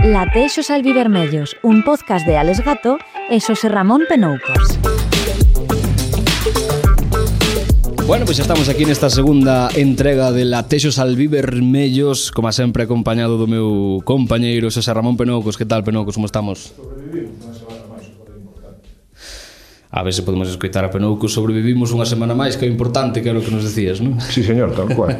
Latexos albivermellos, un podcast de Alex Gato e Xosé Ramón Penoucos. Bueno, pois estamos aquí nesta segunda entrega de Latexos albivermellos, como sempre acompañado do meu compañeiro Xosé Ramón Penoucos. Que tal, Penoucos, como estamos? Sobrevivimos unha semana máis, que é importante. A ver se podemos escoitar a Penoucos. Sobrevivimos unha semana máis, que é importante, que é o que nos decías, non? Sí, señor, tal cual.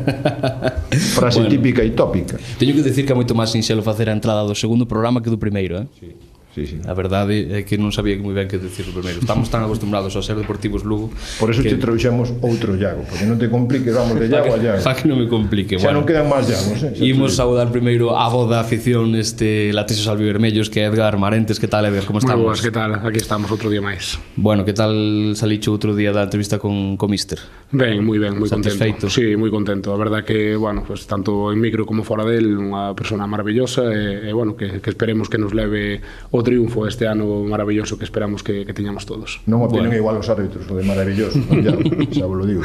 Frase bueno, típica e tópica. Teño que decir que é moito máis sinxelo facer a entrada do segundo programa que do primeiro, Sí. Sí. A verdade é que non sabía moi ben que decir o primeiro. Estamos tan acostumbrados a ser Deportivos Lugo. Por eso te trouxemos outro Iago, porque non te compliques, vamos de Iago a Iago. Para que non me complique. Xa non quedan máis Iagos, Imos saudar primeiro a voz da afición Latexos albivermellos, que é Edgar Marentes. Que tal, Edgar? Como estamos? Moi boas, que tal? Aquí estamos outro día máis. Bueno, que tal salicho outro día da entrevista con Mister? Ben, moi contento. Satisfeito? Sí, moi contento. A verdad que, bueno, pues, tanto en micro como fora del, unha persona maravillosa e bueno, que esperemos que nos leve o triunfo este ano maravilloso que esperamos que teñamos todos. Non opinen igual os árbitros, o de maravilloso, xa vos lo digo.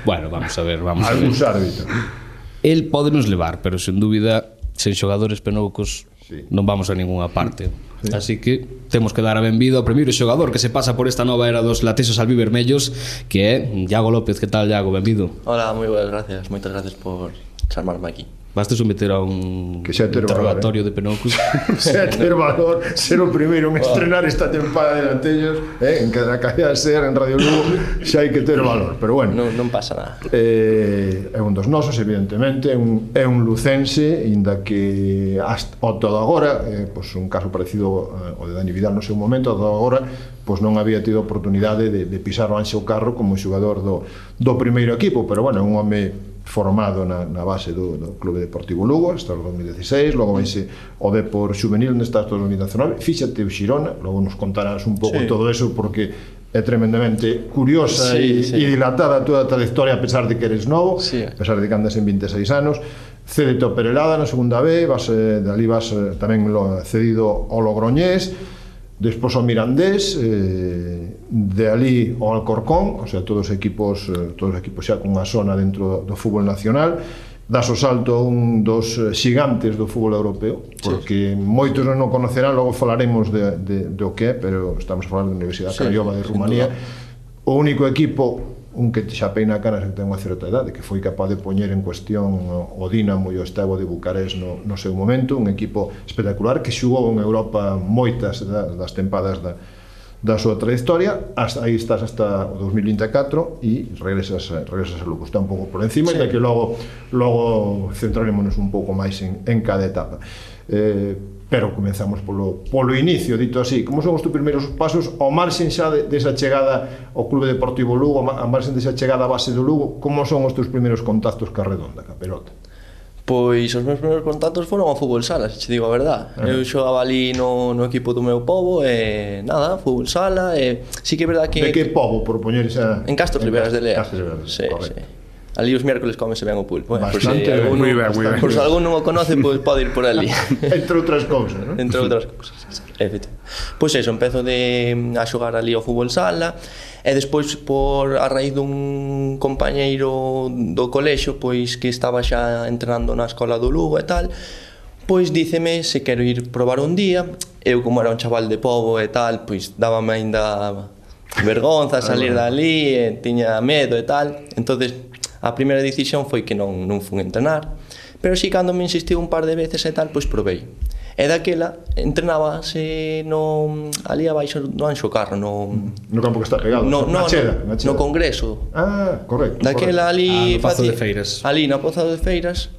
Bueno, vamos a ver. Algúns árbitros. El pódenos levar, pero sen dúbida, sen xogadores Penoucos, sí, non vamos a ninguna parte. Sí. Así que temos que dar a benvida ao primeiro xogador que se pasa por esta nova era dos Latexos albivermellos, que é Iago López. Que tal, Iago? Benvido. Hola, moi boas, gracias. Moitas gracias por chamarme aquí. Baste someter a un valor, interrogatorio de Penoucos. Xa ter valor, ser o primeiro en estrenar esta tempada de Latexos, en cada cadea ser en Radio Lugo, xa hai que ter valor, pero bueno. Non pasa nada. É un dos nosos, evidentemente, é un lucense, inda que ao todo agora, pois un caso parecido ao de Dani Vidal no seu momento, ao todo agora, pois non había tido oportunidade de pisar o Anxo Carro como xogador do primeiro equipo, pero bueno, é un home formado na base do Clube Deportivo Lugo hasta o 2016, logo vaise o Depor Xuvenil onde está hasta o 2019, fíxate o Xirona, logo nos contarás un pouco todo eso porque é tremendamente curiosa e dilatada toda a trayectoria a pesar de que eres novo, a pesar de que andas en 26 anos. Cédete ao Perelada na segunda B, de ali vas tamén cedido ao Logroñés, despois ao Mirandés, de ali ao Alcorcón, o sea, todos os equipos xa con unha zona dentro do fútbol nacional. Das o salto a un dos xigantes do fútbol europeo, porque moitos non o conocerán, logo falaremos do que é, pero estamos a falar da Universidade Craiova de Rumanía, o único equipo, un que xa peina canas que ten unha certa idade, que foi capaz de poñer en cuestión o Dinamo e o Steaua de Bucarest no seu momento, un equipo espectacular que xugou en Europa moitas das tempadas da súa trayectoria, aí estás hasta o 2024 e regresas a Lugo, está un pouco por encima, e que logo centrarémonos un pouco máis en cada etapa. Pero comenzamos polo inicio, dito así. Como son os teus primeiros pasos ao marxen xa desa chegada ao Clube Deportivo Lugo, ao marxen desa chegada á base do Lugo? Como son os teus primeiros contactos ca redonda, ca pelota? Pois os meus primeiros contactos foron ao fútbol sala, se te digo a verdad. Eu xogaba ali no equipo do meu pobo e nada, fútbol sala e sí que é verdad que... De que pobo, por poñer esa... En Castro Riberas de Lea. Castro Riberas, correcto. Ali os miércoles comese ben o pulpo, Bastante ben, moi ben. Por se algún non o conoce, pois pode ir por ali. Entre outras cousas, non? Entre outras cousas, efectivamente. Pois eso, empezo a xogar ali ao fútbol sala e despois a raíz dun compañeiro do colexio pois que estaba xa entrenando na escola do Lugo e tal, pois díceme se quero ir probar un día. Eu, como era un chaval de pobo e tal, pois dábame aínda vergonza salir dali e tiña medo e tal. Entonces a primeira decisión foi que non fun entrenar, pero si cando me insistiu un par de veces e tal, pois provei. E daquela entrenábase ali abaixo do Anxo Carro, no campo que está pegado, na Cheda. No Congreso. Ah, correcto. Daquela ali no Pozo de Feiras. Ali na Pozo de Feiras,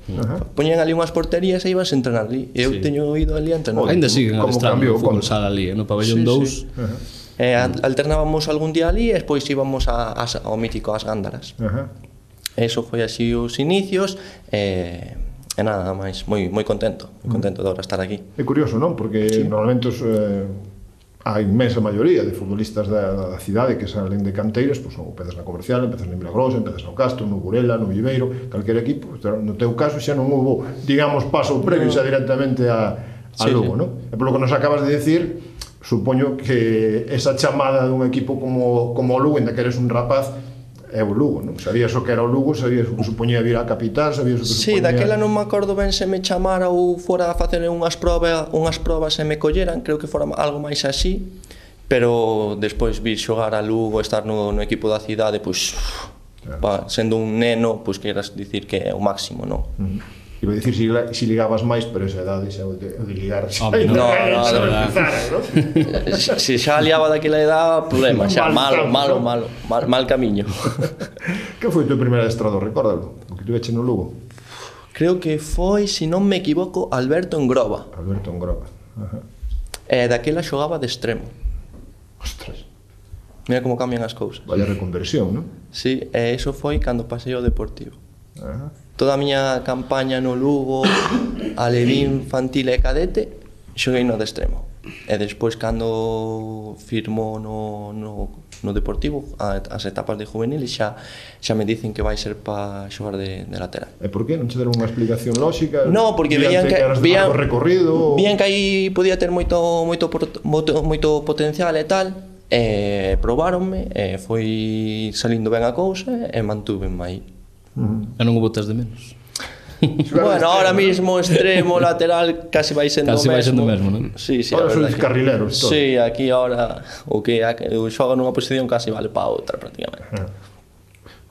poñían ali unhas porterías e ibas a entrenar ali. Eu teño ido ali a entrenar. Ainda siguen adestrando o fútbol sala ali, no pabellón 2. Alternábamos algún día ali e despois íbamos ao mítico As Gándaras. Eso foi así os inicios e nada máis, moi contento de ahora estar aquí. É curioso, non? Porque normalmente a inmensa maioría de futbolistas da cidade que salen de canteiras, pois empezas na Comercial, empezas na Milagrosa, empezas no Castro, no Burela, no Viveiro, calquer equipo. No teu caso xa non houbo, digamos, paso previo xa directamente a Lugo, non? E polo que nos acabas de decir, supoño que esa chamada dun equipo como o Lugo, ainda que eres un rapaz, é o Lugo, non? Sabías o que era o Lugo, sabías o que supoñía vir á capital, sabías o que Sí, supoñía... daquela non me acordo ben se me chamara ou fora a facer unhas probas e me colleran, creo que fora algo máis así, pero despois vir xogar a Lugo, estar no equipo da cidade, pois, sendo un neno, pois queras dicir que é o máximo, non? Iba a dicir si ligabas máis, pero esa edade xa o de ligar xa no, se xa liaba daquela edad, problema, xa mal camiño. Que foi o teu primeiro adestrador, recórdalo? O que tuveche no Lugo? Creo que foi, se non me equivoco, Alberto Engroba. Alberto Engroba. E daquela xogaba de extremo. Ostras. Mira como cambian as cousas. Vaya reconversión, non? Sí, e iso foi cando pasei ao Deportivo. Toda a miña campaña no Lugo, alevín, infantil e cadete, xoguei no de extremo. E despois, cando firmou no Deportivo, as etapas de juvenil, xa me dicen que vai ser para xogar de lateral. E por que? Non che deron unha explicación lóxica? No, porque veían que aí podía ter moito potencial e tal, e probáronme, e foi salindo ben a cousa, e mantúvenme aí. E non o botas de menos. Bueno, ahora mismo extremo, lateral, casi vai sendo o mesmo, non? Sí, ahora sois carrileros todos. Sí, aquí ahora o que xoga nunha posición casi vale para outra prácticamente.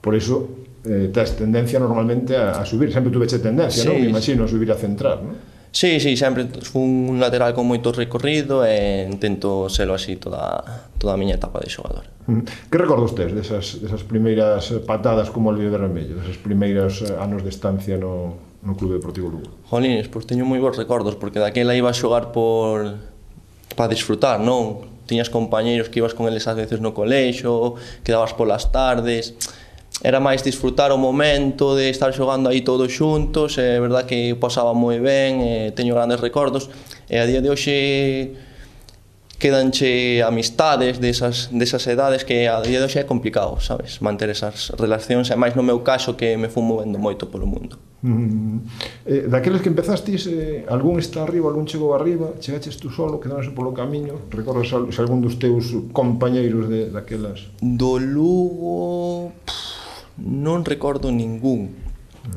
Por iso tes tendencia normalmente a subir, sempre tuveche tendencia, non? Me imagino a subir a centrar, non? Sí, sempre fui un lateral con moito recorrido e intento selo así toda a miña etapa de xogador. Que recordos tes desas primeiras patadas como o Viver Vermello, desas primeiros anos de estancia no Clube Deportivo Lugo? Jolines, pois teño moi bons recordos, porque daquela iba a xogar para disfrutar, non? Tiñas compañeiros que ibas con eles ás veces no colexo, quedabas polas tardes... Era máis disfrutar o momento de estar xogando aí todos xuntos, é verdad que pasaba moi ben, teño grandes recordos, e a día de hoxe quedanche amistades desas edades que a día de hoxe é complicado, sabes, manter esas relacións, e máis no meu caso que me fui movendo moito polo mundo. Daqueles que empezastis, algún está arriba, algún chegou arriba, chegaches tú solo, quedaronse polo camiño, recordas se algún dos teus compañeiros daquelas? Do Lugo... non recordo ningún.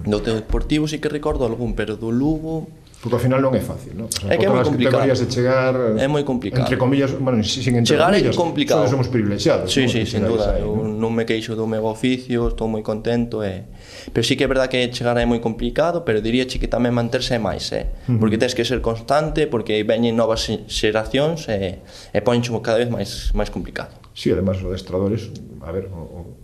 Do Deportivo sí que recordo algún, pero do Lugo... Porque ao final non é fácil, non? É que é moi complicado. De chegar, é moi complicado. Entre comillas, bueno, sin entre chegar comillas, é complicado. Somos privilexiados. Sí, sin duda. Eu non me queixo do meu oficio, estou moi contento. Pero sí que é verdad que chegar é moi complicado, pero diríache que tamén manterse é máis, porque tens que ser constante, porque veñen novas xeracións e poncho cada vez máis complicado. Sí, además os adestradores, a ver,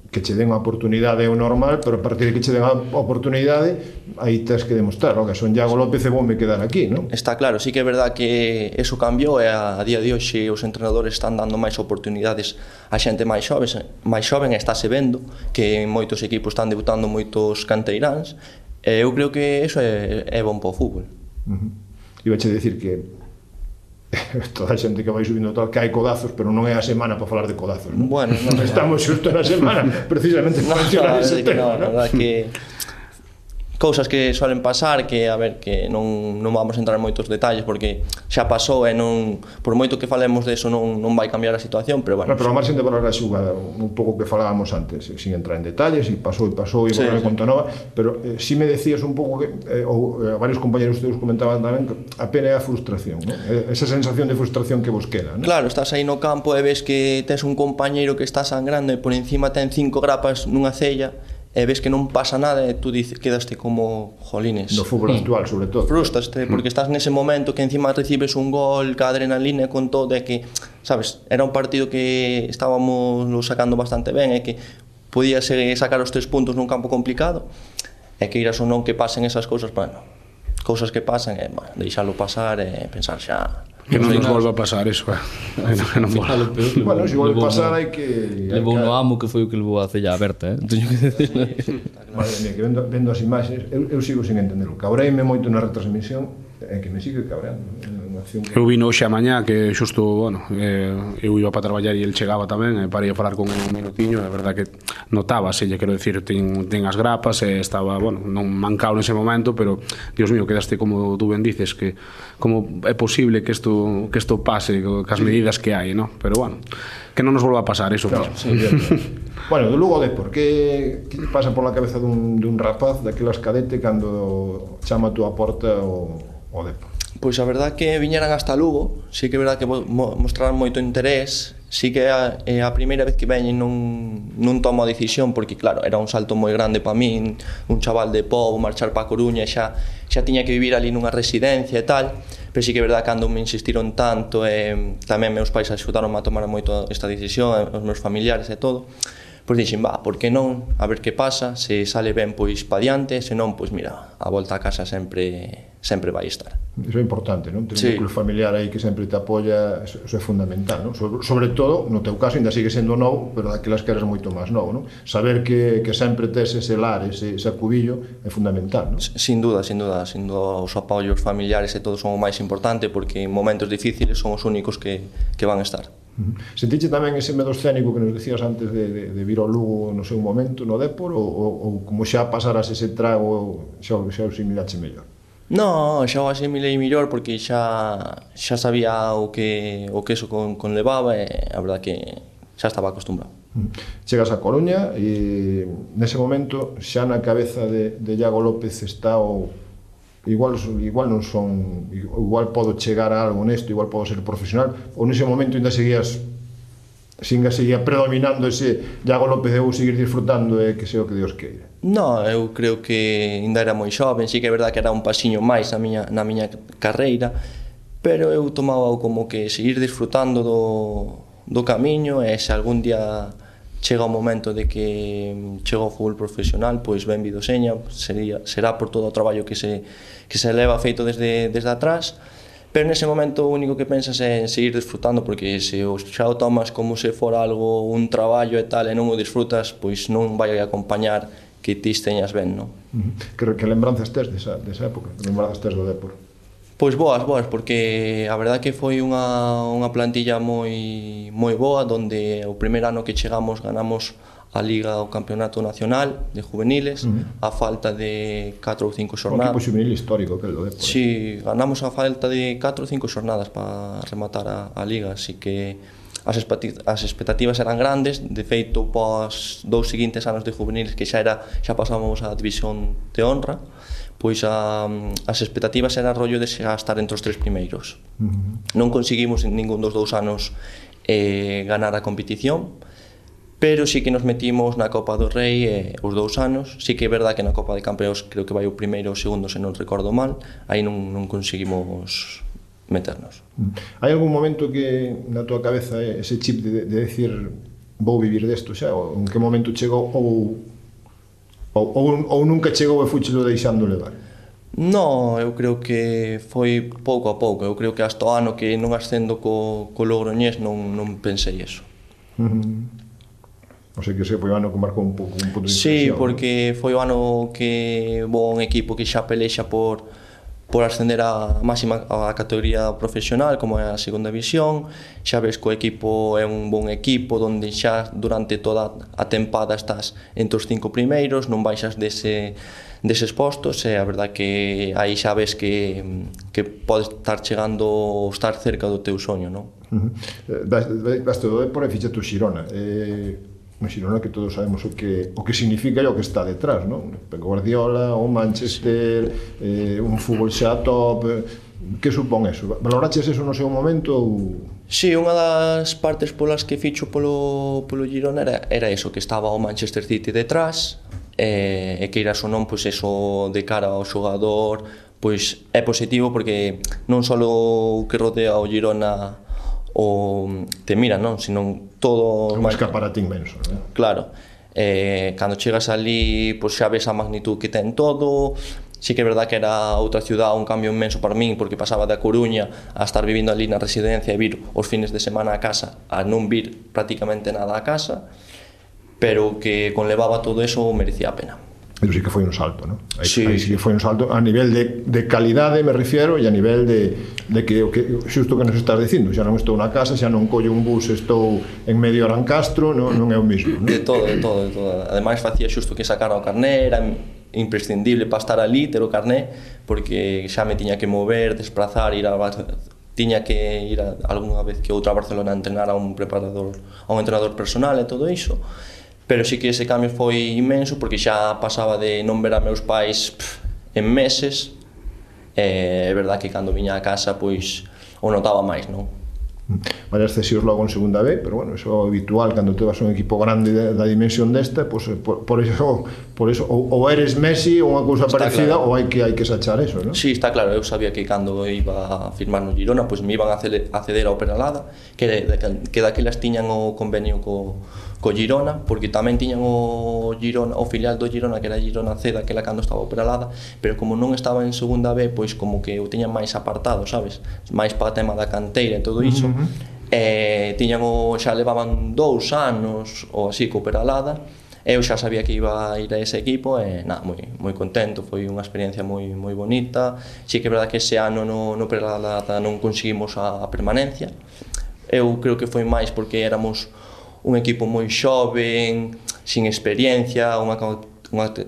que che den a oportunidade é o normal, pero a partir de que che den a oportunidade, aí tens que demostrar, que son Iago López e vou me quedar aquí, non? Está claro, sí que é verdad que eso cambiou e a día de hoxe os entrenadores están dando máis oportunidades a xente máis xoven, e estáse vendo que en moitos equipos están debutando moitos canteiráns, e eu creo que eso é bon para o fútbol. Ibache dicir que toda a xente que vai subindo tal, que hai codazos, pero non é a semana para falar de codazos, non? Bueno, non estamos xusto na semana precisamente para mencionar ese tema, non? A verdad que cousas que suelen pasar, que a ver, que non vamos a entrar en moitos detalles porque xa pasou e non, por moito que falemos de eso non vai cambiar a situación, pero bueno. Pero a marxen de valorar a xugada, un pouco que falábamos antes, sin entrar en detalles, e pasou e volver a conta nova, pero si me decías un pouco que ou varios compañeros teus comentaban tamén que a pena é a frustración, non? Esa sensación de frustración que vos queda, non? Claro, estás aí no campo e ves que tes un compañeiro que está sangrando e por encima ten 5 grapas nunha cella e ves que non pasa nada e tú quedaste como jolines. No fútbol actual, sobre todo. Frustraste, porque estás nese momento que encima recibes un gol, ca adrenalina con todo, e que, sabes, era un partido que estábamos sacando bastante ben, e que podías sacar os 3 puntos nun campo complicado, e que iras ou non que pasen esas cousas, bueno, cousas que pasan, e, bueno, deixalo pasar e pensar xa... Que non nos volva a pasar eso, non mola. Bueno, se volve a pasar hai que... Levou no amo que foi o que levou a cella aberta, teño que decir. Madre mía, que vendo as imaxes, eu sigo sin entenderlo. Cabreime moito na retransmisión, é que me sigue cabreando. animación. Eu vino hoxe a mañá que xusto, bueno, eu iba para traballar e el chegaba tamén, e parei a falar con el un minutiño, é verdad que notábase, quero decir, ten as grapas e estaba, bueno, non mancado nese momento, pero, Dios mío, quedaste como tú ben dices, que como é posible que isto pase, cas medidas que hai, ¿no? Pero, bueno, que non nos volva a pasar iso. No, sí, bueno, do Lugo Depor, que pasa por la cabeza dun rapaz daquelas cadete cando chama a túa porta o Depor? Pois a verdad que viñeran hasta Lugo, sí que é verdad que mostraran moito interés, sí que a primeira vez que veñen non tomo a decisión, porque claro, era un salto moi grande para min, un chaval de Pobo, marchar para a Coruña, xa tiña que vivir ali nunha residencia e tal, pero sí que é verdad que cando me insistiron tanto, tamén meus pais axudaron a tomar moito esta decisión, os meus familiares e todo, pois dixen, por que non, a ver que pasa, se sale ben, pois pa diante, se non, pois mira, a volta a casa sempre vai estar. Iso é importante, non? Ter un núcleo familiar aí que sempre te apoia, iso é fundamental, non? Sobre todo, no teu caso, ainda sigue sendo novo, pero daquelas que eres moito máis novo, non? Saber que sempre tes ese lar, ese acubillo, é fundamental, non? Sin duda, os apoios familiares e todo son o máis importante, porque en momentos difíciles son os únicos que van a estar. Sentiche tamén ese medo escénico que nos decías antes de vir ao Lugo no seu momento, no Depor, ou como xa pasaras ese trago, xa o asimilache mellor? No, xa o asimilei mellor porque xa sabía o que eso conlevaba e a verdad que xa estaba acostumbrado. Chegas a Coruña e nese momento xa na cabeza de Iago López está o igual non son, igual podo chegar a algo nesto, igual podo ser profesional, ou nese momento ainda seguía predominando ese Iago López de seguir disfrutando e que sea o que Dios queira? No, eu creo que ainda era moi xoven, sí que é verdad que era un pasiño máis na miña carreira, pero eu tomaba como que seguir disfrutando do camiño e se algún día chega o momento de que chega ao fútbol profesional, pois ben vido seña, será por todo o traballo que se leva feito desde atrás, pero nese momento o único que pensas é en seguir disfrutando, porque se xa o tomas como se fora algo, un traballo e tal, e non o disfrutas, pois non vai a acompañar que ti teñas ben, non? Que lembranzas tes desa época? Que lembranzas tes do Depor? Pois boas, porque a verdad que foi unha plantilla moi boa, donde o primeiro ano que chegamos ganamos a Liga o Campeonato Nacional de Juveniles, a falta de 4 ou 5 xornadas. Un equipo juvenil histórico, que é o Depor. Sí, ganamos a falta de 4 ou 5 xornadas para rematar a Liga, así que as expectativas eran grandes. De feito, pos 2 seguintes anos de juveniles que xa pasábamos a división de honra, pois as expectativas era rollo de xa estar entre os 3 primeiros. Non conseguimos en ningún dos 2 anos ganar a competición, pero sí que nos metimos na Copa do Rei os 2 anos. Sí que é verdad que na Copa de Campeóns creo que vai o primeiro ou o segundo, se non recordo mal, aí non conseguimos meternos. Hai algún momento que na tua cabeza ese chip de decir vou vivir desto xa, ou en que momento chegou, ou nunca chegou e fuchelo deixando levar? No, eu creo que foi pouco a pouco. Eu creo que hasta o ano que non ascendo co Logroñés non pensei eso. O sea que foi o ano que marcou un pouco un punto de Sí, inflexión. porque foi o ano que vou a un equipo que xa pelexa por ascender a máxima a categoría profesional, como é a segunda división. Xa ves que o equipo é un bon equipo, donde xa durante toda a tempada estás entre os 5 primeiros, non baixas deses postos, e a verdad que aí xa ves que podes estar chegando, estar cerca do teu soño, non? Baste do Depor e fixaste o Xirona. Un Xirona que todos sabemos o que significa e o que está detrás, non? Guardiola, o Manchester, un fútbol xa top. Que supón eso? Valoraches eso no seu momento? Sí, unha das partes polas que ficho polo Girona era eso, que estaba o Manchester City detrás, e que iras ou non, pois eso de cara ao xogador, pois é positivo, porque non só o que rodea o Girona te mira, non? Sino todo... É un escaparate inmenso, non? Claro. Cando chegas ali, pois xa ves a magnitud que ten todo. Sí que é verdad que era outra ciudad, un cambio inmenso para min, porque pasaba da Coruña a estar vivindo ali na residencia e vir os fines de semana a casa, a non vir prácticamente nada a casa, pero que conlevaba todo eso merecía a pena. Pero sí que foi un salto, non? Aí Sí, sí que foi un salto a nivel de calidade, me refiero, e a nivel de que o que xusto que nos estás dicindo, xa non estou na casa, xa non collo un bus, estou en medio de Arancastro, non é o mismo, non? De todo. Ademais, facía xusto que sacar o carné, era imprescindible para estar ali, ter o carné, porque xa me tiña que mover, desplazar, tiña que ir algunha vez que outra a Barcelona a entrenar a un entrenador personal e todo iso. Pero sí que ese cambio foi inmenso, porque xa pasaba de non ver a meus pais en meses. É verdad que cando viña a casa, pois, o notaba máis, non? Varias cesións logo en segunda B, pero bueno, eso é habitual cando te vas a un equipo grande da dimensión desta, pues, por eso ou eres Messi ou unha cousa parecida, claro. Ou hai que sachar eso, non? Sí, está claro, eu sabía que cando iba a firmar no Girona, pues me iban a ceder ao Peralada, que daquelas tiñan o convenio co Girona, porque tamén tiñan o filial do Girona, que era Girona C, daquela cando estaba o Peralada, pero como non estaba en segunda B, pois como que o tiñan máis apartado, sabes? Máis para o tema da canteira e todo iso. Xa levaban 2 anos ou así co Peralada. Eu xa sabía que iba a ir a ese equipo e moi contento, foi unha experiencia moi bonita. Sí que é verdad que ese ano no Peralada non conseguimos a permanencia. Eu creo que foi máis porque éramos un equipo moi xoven, sin experiencia, unha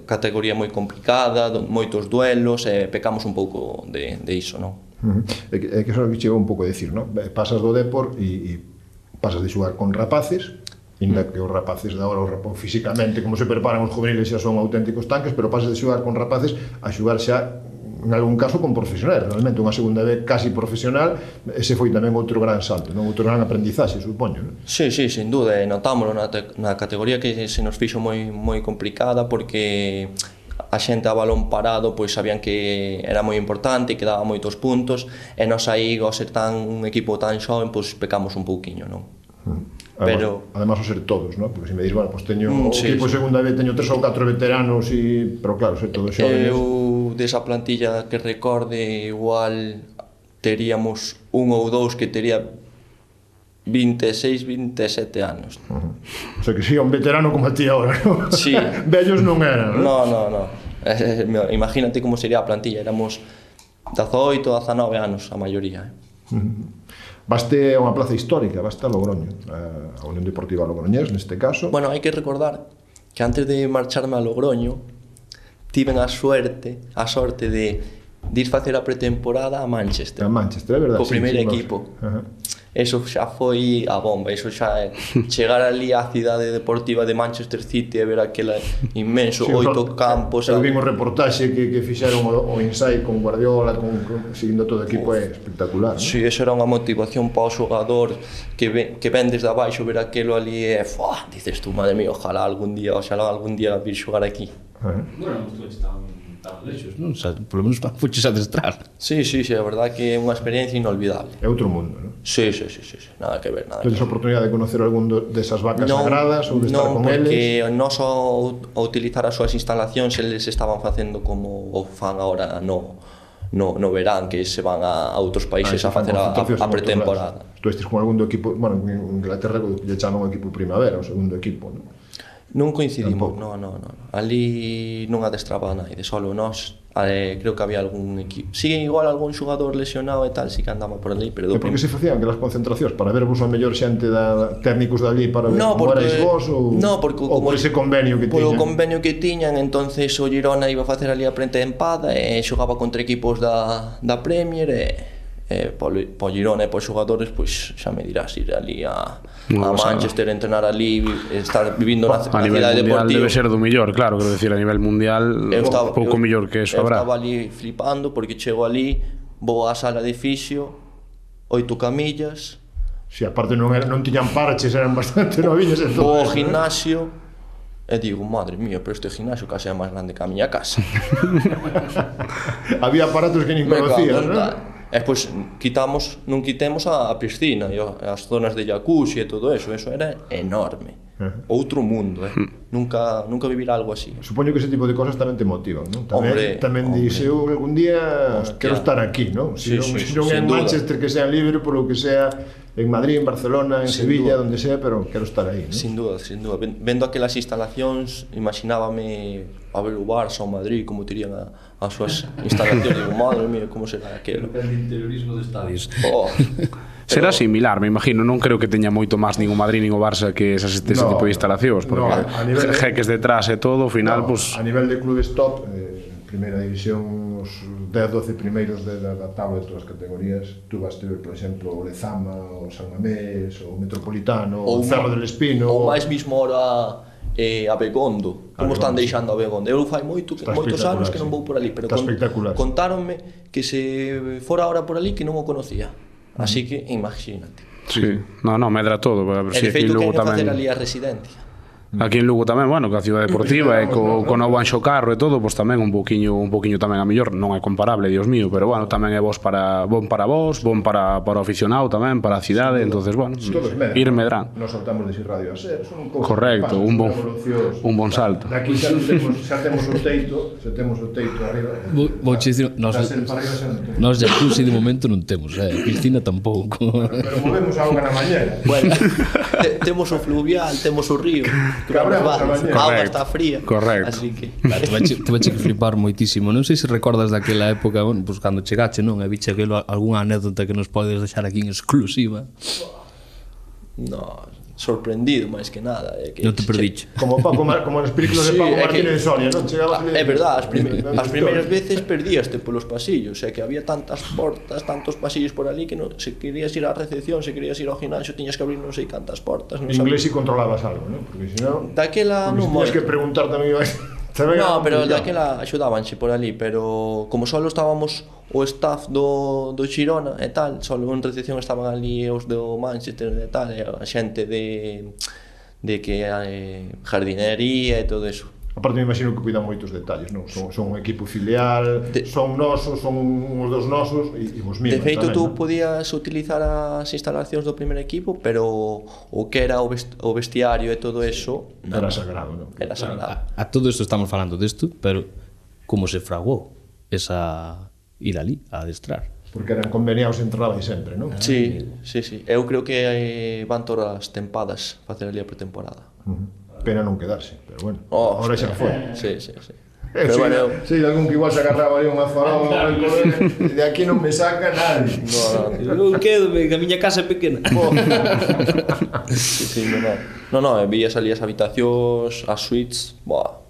categoría moi complicada, moitos duelos, e pecamos un pouco de iso, non? É que eso é o que chegou un pouco a decir, non? Pasas do Depor e pasas de xogar con rapaces, inda que os rapaces de agora, físicamente, como se preparan os juveniles, xa son auténticos tanques, pero pasas de xogar con rapaces a xogar xa, en algún caso, con profesionais. Realmente, unha segunda vez casi profesional, ese foi tamén outro gran salto, non? Outro gran aprendizaxe, supoño, non? Sí, sin duda, e notámoslo na categoría que se nos fixo moi complicada, porque a xente a balón parado pois sabían que era moi importante, que daba moitos puntos, e nos aí, ao ser un equipo tan xoven, pois pecamos un pouquiño, non? Además, ao ser todos, non? Porque se me dis, bueno, pois teño o equipo de segunda vez, teño 3 ou 4 veteranos, pero claro, ser todos xóvenes. Eu, desa plantilla que recorde, igual teríamos un ou dous que tería 26, 27 anos. O sea que sí, un veterano como a ti agora, non? Sí. Vellos non eran, non? No. Imagínate como sería a plantilla, éramos 18, 19 anos a maioría. Vaste a unha plaza histórica, vaste a Logroño, a Unión Deportiva Logroñés, neste caso. Bueno, hai que recordar que antes de marcharme a Logroño tiven a sorte de ir facer a pretemporada a Manchester. A Manchester, é verdade. Co primeiro equipo. Eso xa foi a bomba, eso xa é chegar ali á cidade deportiva de Manchester City e ver aquela inmenso, 8 campos. Eu vimos reportaxe que fixeron o ensaio con Guardiola, seguindo todo o equipo, é espectacular, non? Sí, eso era unha motivación para o xogador que ven desde abaixo ver aquelo ali e dices tú, madre mía, ojalá algún día vir xogar aquí. Bueno, tú estás tan lexos, non? O sea, por lo menos fuches a adestrar. Sí, a verdade que é unha experiencia inolvidable. É outro mundo, non? Sí, nada que ver, Tedes a oportunidade de conocer algún desas vacas sagradas ou de estar con eles? Non, porque nós ao utilizar as súas instalacións eles estaban facendo como o fan agora no verán, que se van a outros países a facer a pretemporada. Tu estes con algún do equipo, bueno, en Inglaterra lle chaman o equipo primavera, o segundo equipo, non? Non coincidimos, non. Ali non adestraba naide, solo nós, creo que había algún equipo. Si, igual algún xogador lesionado e tal, si que andaba por ali, pero... E por que se facían aquelas concentracións? Para ver vos a mellor xente técnicos dali para ver como erais vos? Ou por ese convenio que tiñan? Polo convenio que tiñan, entonces o Girona iba a facer ali a pretempada e xogaba contra equipos da Premier e po Girona e pos xogadores, pois xa me dirás, ir ali a Manchester, entrenar ali, estar vivindo na cidade deportiva. A nivel mundial debe ser do mellor, claro, quero decir, a nivel mundial pouco mellor que eso habrá. Eu estaba ali flipando porque chego ali, vou á sala de fisio, 8 camillas. Si, aparte non tiñan parches, eran bastante noviños. Vou ao gimnasio e digo, madre mía, pero este gimnasio case é máis grande que a miña casa. Había aparatos que nin conocías, non? E pois non quitemos a piscina e as zonas de jacuzzi e todo eso era enorme. Outro mundo, Nunca vivir algo así. Supoño que ese tipo de cosas tamén te motivan, non? Tamén dixe, eu algún día quero estar aquí, non? Se non é en Manchester, que sea en Liverpool, ou que sea en Madrid, en Barcelona, en Sin Sevilla, duda. onde sea, pero quero estar aí, ¿no? Sin duda, sin duda. Vendo aquelas instalacións, imaginábame a ver o Barça ou Madrid, como terían as súas instalacións. Digo, madre mía, como será aquilo? El interiorismo de estadios. Oh, Será similar, me imagino, non creo que teña moito máis nin o Madrid nin o Barça que ese No, tipo de instalacións, porque a nivel de- jeques detrás e todo, ao final, No, pues, a nivel de clubes top, primeira división, os 10-12 primeiros da tabla de todas as categorías, tú vas ter, por exemplo, o Lezama, o San Mamés, o Metropolitano, o Cerro del Espino, ou máis mismo ahora a Begondo. Como están Begondo, deixando a Begondo? Eu fai moitos Está anos que non sí. vou por ali, pero Está espectacular. contáronme que se fora ahora por ali que non o conocía. Así que imagínate. sí. No, medra todo, a ver E se de aquí en feito Lugo queren facer tamén. ali a residencia. Aquí en Lugo tamén, bueno, que a Ciudad Deportiva e co novo Anxo Carro e todo, pois tamén un poquiño tamén a mellor, non é comparable, Dios mío, pero bueno, tamén é bon para vos, bon para o aficionado tamén, para a cidade, entonces bueno, todos medran. ir medrán. Nos saltamos de Radio a ser, son cousas Correcto, que pasan, un bon salto. Daqui xa temos o teito arriba. Vou che dicir, Para arriba xa non temos. Nós jacuzzi de momento non temos, Cristina tampouco. Pero movemos a auga na mañana. Bueno, temos o fluvial, temos o río. Cabremos a mañana. A auga Correcto, está fría. correcto. Así que Te vache que flipar moitísimo. Non sei se recordas daquela época, bueno, pues cando chegache, non? E viche aquilo, algunha anécdota que nos podes deixar aquí en exclusiva. no, sorprendido máis que nada, que Non te perdiche. Como nas películas de Sí, Paco é que- Martínez de Soria, non? Chegabas ali- É verdad, as primeiras veces perdíaste polos pasillos, que había tantas portas, tantos pasillos por ali que non, se querías ir á recepción, se querías ir ao ginásio, tiñas que abrir non sei cantas portas, non En inglés sabes. si controlabas algo, non? Porque si non... Daquela Porque non si tiñas moito. que preguntar tamén ibas... No, pero daquela axudábanche por ali, pero como só estábamos o staff do Girona e tal, só en recepción estaban ali os do Manchester e tal, e a xente de que jardinería e todo eso. Aparte me imagino que cuidan moitos detalles, non? Son un equipo filial, son nosos, son uns dos nosos e vos miman De feito, tamén, tú non? podías utilizar as instalacións do primer equipo, pero o que era o vestiario e todo eso Era sagrado, non? era sagrado. A todo isto estamos falando desto, pero como se fraguou esa ir ali a adestrar? Porque eran conveniados e entrabais sempre, non? Sí. Eu creo que van todas as tempadas facer ali a pretemporada. Pena non quedarse, pero bueno, Oh, ahora xa foi. Sí. Pero Pero bueno, bueno, sí, algún que igual se agarraba ali unha farola, de aquí non me saca nadie. Non quedo, que a miña casa é pequena. sí, no, vías ali as habitacións, as suites,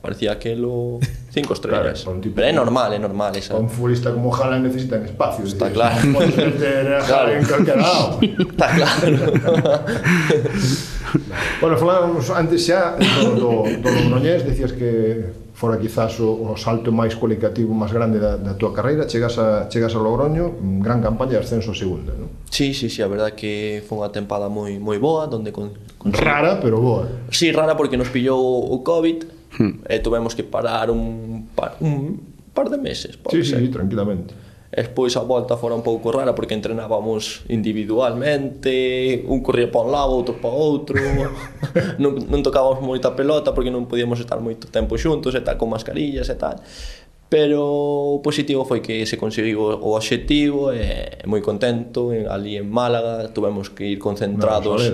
parecía aquelo 5 estrellas. Claro, para un tipo- Pero é normal esa. Un futbolista como Haaland necesitan espacio. Está decir, claro. non podes meter a Claro. Haaland en calquera lado. Está claro. Bueno, falábamos antes xa do Logroñés, decías que fora quizás o salto máis cualitativo máis grande da túa carreira, chegas a Logroño, gran campaña de ascenso a segunda, non? Sí, a verdad que foi unha tempada moi boa, donde Rara, pero boa. Sí, rara porque nos pillou o COVID e tuvemos que parar un par de meses. Sí, tranquilamente. E despois a volta fora un pouco rara porque entrenábamos individualmente, un corría para un lado, outro para outro, non tocábamos moita pelota porque non podíamos estar moito tempo xuntos e tal, con mascarillas e tal. Pero o positivo foi que se conseguiu o obxectivo e moi contento, ali en Málaga tuvemos que ir concentrados.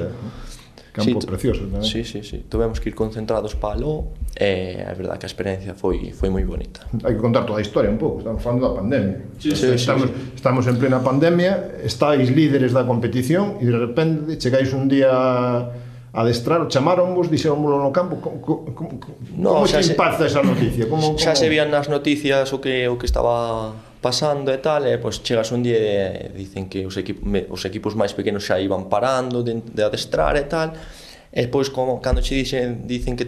Campo precioso tamén. Sí, tuvemos que ir concentrados para aló e a verdad que a experiencia foi moi bonita. Hai que contar toda a historia un pouco, estamos falando da pandemia. Sí. Estamos en plena pandemia, estáis líderes da competición e de repente chegáis un día a adestrar, chamaronvos, dixeronvos no campo, como xa te se- impacta esa noticia? Xa se vían nas noticias o que estaba pasando e tal, e pois chegas un día e dicen que os equipos máis pequenos xa iban parando de adestrar e tal, e despois cando che dicen que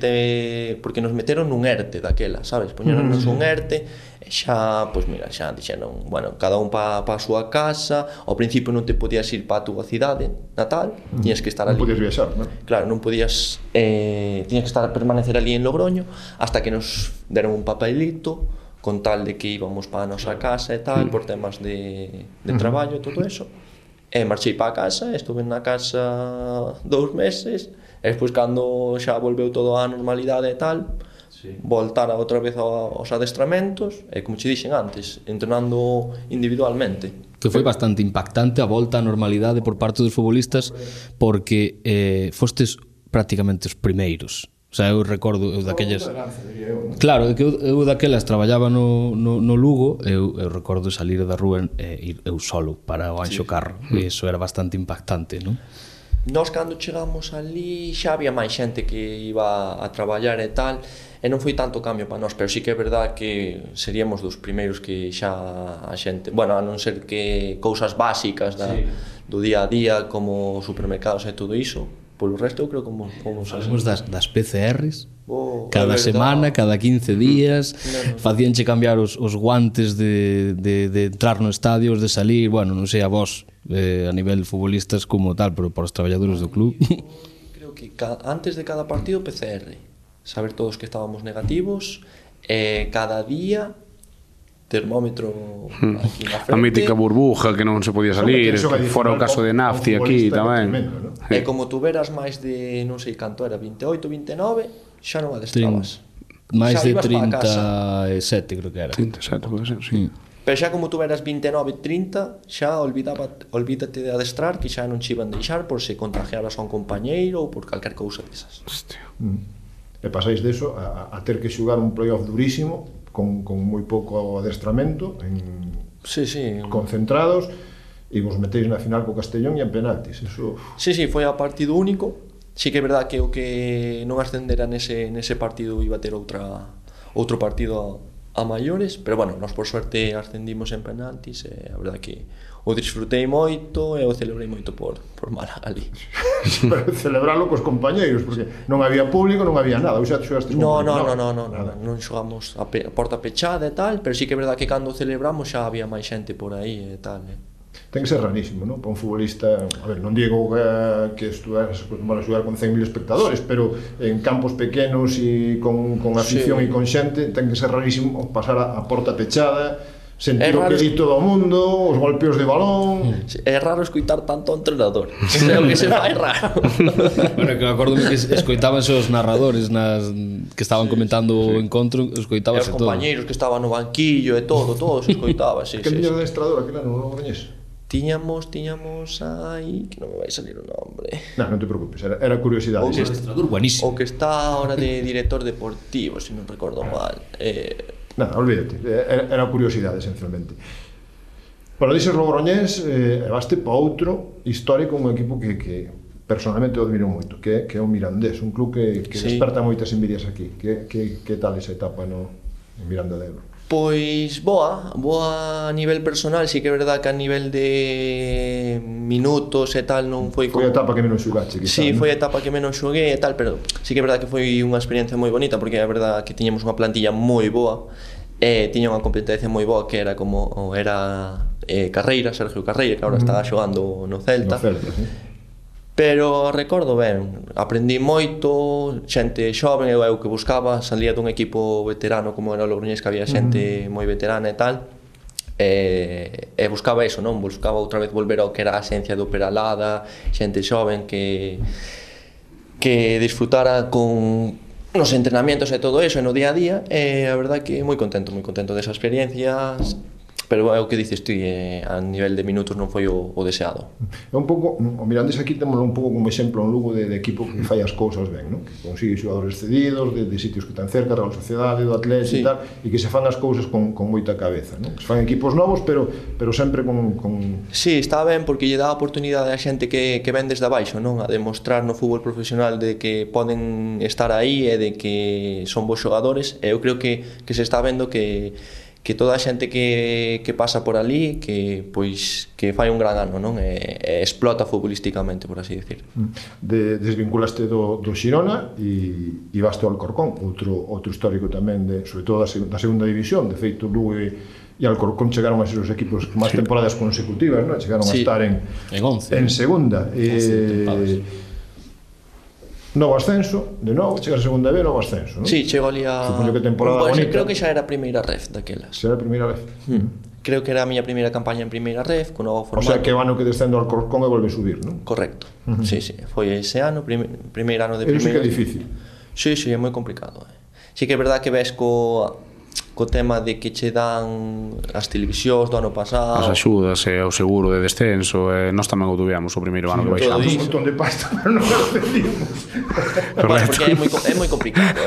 porque nos meteron nun ERTE daquela, sabes? Poñeronnos un ERTE e xa, pois mira, xa dixeron, bueno, cada un pa a súa casa, ao principio non te podías ir pa a túa cidade natal, tiñas que estar ali. Non podías viaxar, non? Claro, non podías tiñas que permanecer ali en Logroño hasta que nos deron un papelito con tal de que íbamos para a nosa casa e tal, por temas de traballo e todo eso. E marchei para a casa, estuve na casa 2 meses, e despois cando xa volveu todo á normalidade e tal, voltar outra vez aos adestramentos e, como che dixen antes, entrenando individualmente. Que foi bastante impactante a volta á normalidade por parte dos futbolistas, porque fostes prácticamente os primeiros. O sea, eu recordo daquelas... Claro, que eu daquelas traballaba no Lugo, eu recordo salir da rúa e ir eu solo para o Anxo Carro, e iso era bastante impactante, non? Nós, cando chegamos ali, xa había máis xente que iba a traballar e tal, e non foi tanto cambio para nós, pero sí que é verdad que seríamos dos primeiros que xa a xente, bueno, a non ser que cousas básicas do día a día, como supermercados e todo iso, polo resto eu creo que fomos Falamos das PCRs, cada semana, cada 15 días, facíanche cambiar os guantes de entrar no estadio, os de salir, bueno, non sei a vos, a nivel futbolistas como tal, pero para os traballadores do club. Creo que antes de cada partido PCR, saber todos que estábamos negativos, cada día termómetro aquí na frente. A mítica burbuja que non se podía salir, fora o caso de Nafti aquí tamén. E como tuveras máis de, non sei canto era, 28, 29, xa non adestrabas. Máis de 37 creo que era. 37, pode ser, sí. Pero xa como tuveras 29, 30, xa olvídate de adestrar, que xa non che iban deixar por se contagiaras a un compañeiro ou por calquer cousa desas. Hostia. E pasáis deso a ter que xugar un playoff durísimo con moi pouco adestramento concentrados e vos metéis na final co Castellón e en penaltis. Eso... Sí, foi a partido único. Sí que é verdad que o que non ascendera nese partido iba a ter outro partido a maiores, pero bueno, nós por suerte ascendimos en penaltis e a verdad que o disfrutei moito e o celebrei moito por Málaga ali. Pero celebralo cos compañeiros, porque non había público, non había nada. Xa xogaste non xogamos a porta pechada e tal, pero sí que é verdad que cando celebramos xa había máis xente por aí e tal. Ten que ser rarísimo, non? Para un futbolista, a ver, non digo que estuveras acostumado a xogar con 100.000 espectadores, pero en campos pequenos e con afición e con xente, ten que ser rarísimo pasar a porta pechada, sentir o que di todo o mundo, os golpeos de balón... É raro escoitar tanto ao entrenador. É o que se fai raro. Bueno, que me acordo que escoitabanse os narradores que estaban comentando o encontro, escoitábase todo. E os compañeiros que estaban no banquillo e todo se escoitaba, sí. Que tiña de adestrador aquel ano, non o Logroñés? Tiñamos aí, que non me vai salir o nombre. Non te preocupes, era curiosidade. O adestrador buenísimo. O que está ahora de director deportivo, se non recordo mal. Nada, olvídate, era curiosidade, esencialmente. Para dices Logroñés, vaste para outro histórico, un equipo que personalmente o admiro moito, que é o Mirandés, un club que desperta moitas envidias aquí. Que tal esa etapa no Miranda de Ebro? Pois boa a nivel personal, sí que é verdad que a nivel de minutos e tal non foi como... Foi a etapa que menos xugache, quizá. Sí, foi a etapa que menos xuguei e tal, pero sí que é verdad que foi unha experiencia moi bonita, porque é verdad que tiñamos unha plantilla moi boa e tiña unha competencia moi boa que era como Carreira, Sergio Carreira, que agora estaba xogando no Celta. No Celta, sí. Pero recordo ben, aprendí moito, xente xoven, eu que buscaba, salía dun equipo veterano como era o Logroñés, que había xente moi veterana e tal, e buscaba eso, non? Buscaba outra vez volver ao que era a esencia do Peralada, xente xoven que disfrutara con nos entrenamientos e todo eso, e no día a día, e a verdade que moi contento desa experiencia. Pero é o que dices tú, a nivel de minutos non foi o deseado. É un pouco, o Mirandés aquí temos un pouco como exemplo un Lugo de equipo que fai as cousas ben, non? Que consigue xogadores cedidos de sitios que están cerca, da Sociedade, do Atlético e tal, e que se fan as cousas con moita cabeza, non? Se fan equipos novos, pero sempre con... Sí, está ben, porque lle dá a oportunidade a xente que ven desde abaixo, non? A demostrar no fútbol profesional de que poden estar aí e de que son bons xogadores, e eu creo que se está vendo que toda a xente que pasa por ali que fai un gran ano, non? E explota futbolísticamente, por así decir. Desvinculaste do Xirona e vaste ao Alcorcón, outro histórico tamén, sobre todo da segunda división. De feito, Lugo e Alcorcón chegaron a ser os equipos máis temporadas consecutivas, non? Chegaron a estar en segunda. Novo ascenso, de novo, chega a segunda B, novo ascenso, non? Sí, chego ali a... Supoño que temporada bonita. Creo que xa era a primeira ref daquelas. Xa era a primeira ref. Creo que era a miña primeira campaña en primeira ref, con novo formato. O sea, que o ano que descendo ao Alcorcón e volve a subir, non? Correcto. Sí, foi ese ano, primeiro ano de primeira. Eso sí que é difícil. Sí, é moi complicado. sí que é verdad que ves co tema de que che dan as televisións do ano pasado, as axudas e o seguro de descenso, nós tamén o tuvemos o primeiro ano que baixamos. Un montón de pasta, pero non lo defendimos. Bueno, porque é moi complicado,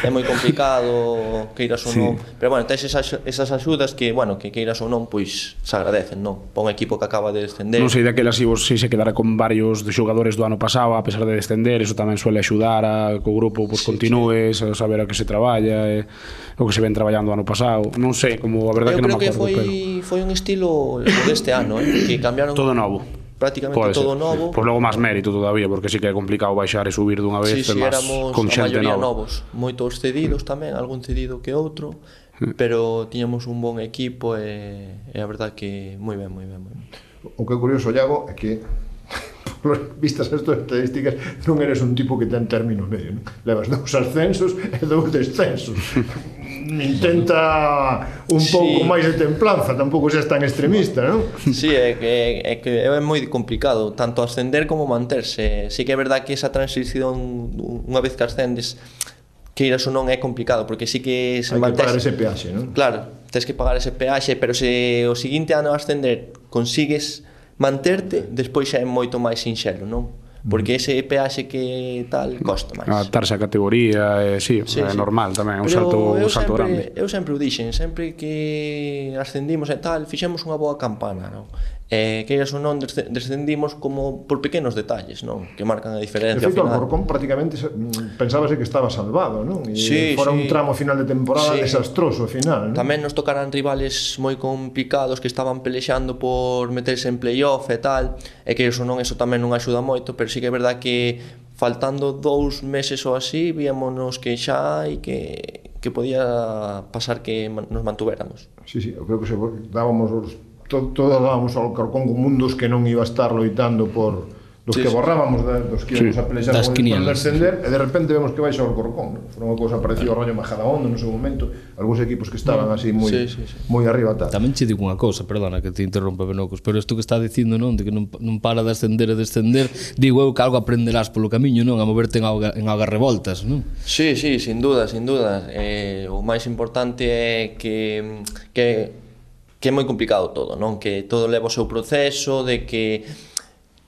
é moi complicado, queiras ou non, pero bueno, tes esas axudas que, bueno, que queiras ou non, pois se agradecen, non? Para un equipo que acaba de descender. Non sei daquela se se quedara con varios de xogadores do ano pasado, a pesar de descender, eso tamén suele axudar a que o grupo pois continúe, a saber a que se traballa, o que se ven traballando ano pasado. Non sei, como a verdade que non me acordo. Eu creo que foi un estilo deste ano, que cambiaron todo novo. Prácticamente todo novo. Pois logo máis mérito todavía, porque sí que é complicado baixar e subir dunha vez, éramos con a xente maioría nova. Novos, moitos cedidos tamén, algún cedido que outro, pero tiñamos un bon equipo e a verdade que moi ben. O que é curioso, Iago, é que vistas as túas estadísticas non eres un tipo que ten término medio, non? Levas 2 ascensos e 2 descensos. Intenta un pouco máis de templanza, tampouco seas tan extremista, non? Sí, é que é moi complicado tanto ascender como manterse. Sí que é verdad que esa transición unha vez que ascendes, queiras ou non, é complicado, porque sí que se hai que pagar ese peaxe, non? Claro, tens que pagar ese peaxe, pero se o seguinte ano a ascender consigues manterte, despois xa é moito máis sinxelo, non? Porque ese peaxe que tal costa máis. Adaptarse á categoría, sí, é normal tamén, é un salto grande. Eu sempre o dixen, sempre que ascendimos e tal, fixemos unha boa campana, non? Que ou non descendimos como por pequenos detalles, non? Que marcan a diferencia. De feito, o Alcorcón prácticamente pensábase que estaba salvado, non? E fora un tramo final de temporada desastroso ao final, non? Tamén nos tocaran rivales moi complicados que estaban pelexando por meterse en playoff e tal, e que ou non, eso tamén non axuda moito, pero sí que é verdad que faltando 2 meses ou así, víamonos que xa e que podía pasar que nos mantuvéramos. Sí, eu creo que se dábamos todos dábamos ao Alcorcón como un dos que non iba a estar loitando por dos que borrábamos dos que íbamos a pelexar por descender, e de repente vemos que baixa o Alcorcón. Foi unha cousa parecida ao rollo Majadahonda no seu momento, algúns equipos que estaban así moi arriba tal. Tamén che digo unha cousa, perdona que te interrompa, Benocos, pero isto que está dicindo, non, de que non para de ascender e descender, digo eu que algo aprenderás polo camiño, non, a moverte en augas revoltas, non? Sí, sin duda. O máis importante é que é moi complicado todo, non? Que todo leva o seu proceso, de que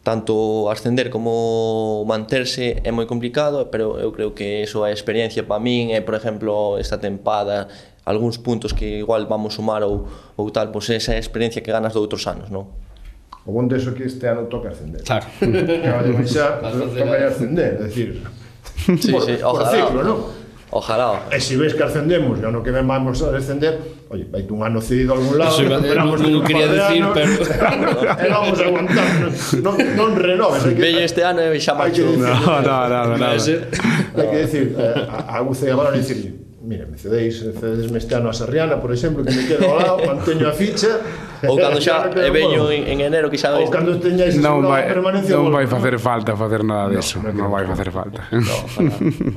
tanto ascender como manterse é moi complicado, pero eu creo que eso é experiencia para min, por exemplo, esta tempada, algúns puntos que igual vamos sumar ou tal, pois esa é a experiencia que ganas de outros anos, non? O bon deso que este ano toca ascender. Claro. Que baixar, toca ascender, é dicir, por ciclo, non? Ojalá. E se ves que ascendemos e ano que ven vamos a descender, oye, vaite un ano cedido a algún lado, non quería decir, pero e vamos a aguantar, non renoves. Bello este ano e xa marcho. No. Hai que decir, a UCE agora dicir, mira, me cedesme este ano a Sarriana, por exemplo, que me quedo ao lado, manteño a ficha. Ou cando xa veño en enero que xa ou cando teñáis non vai facer falta facer nada deso, non vai facer falta.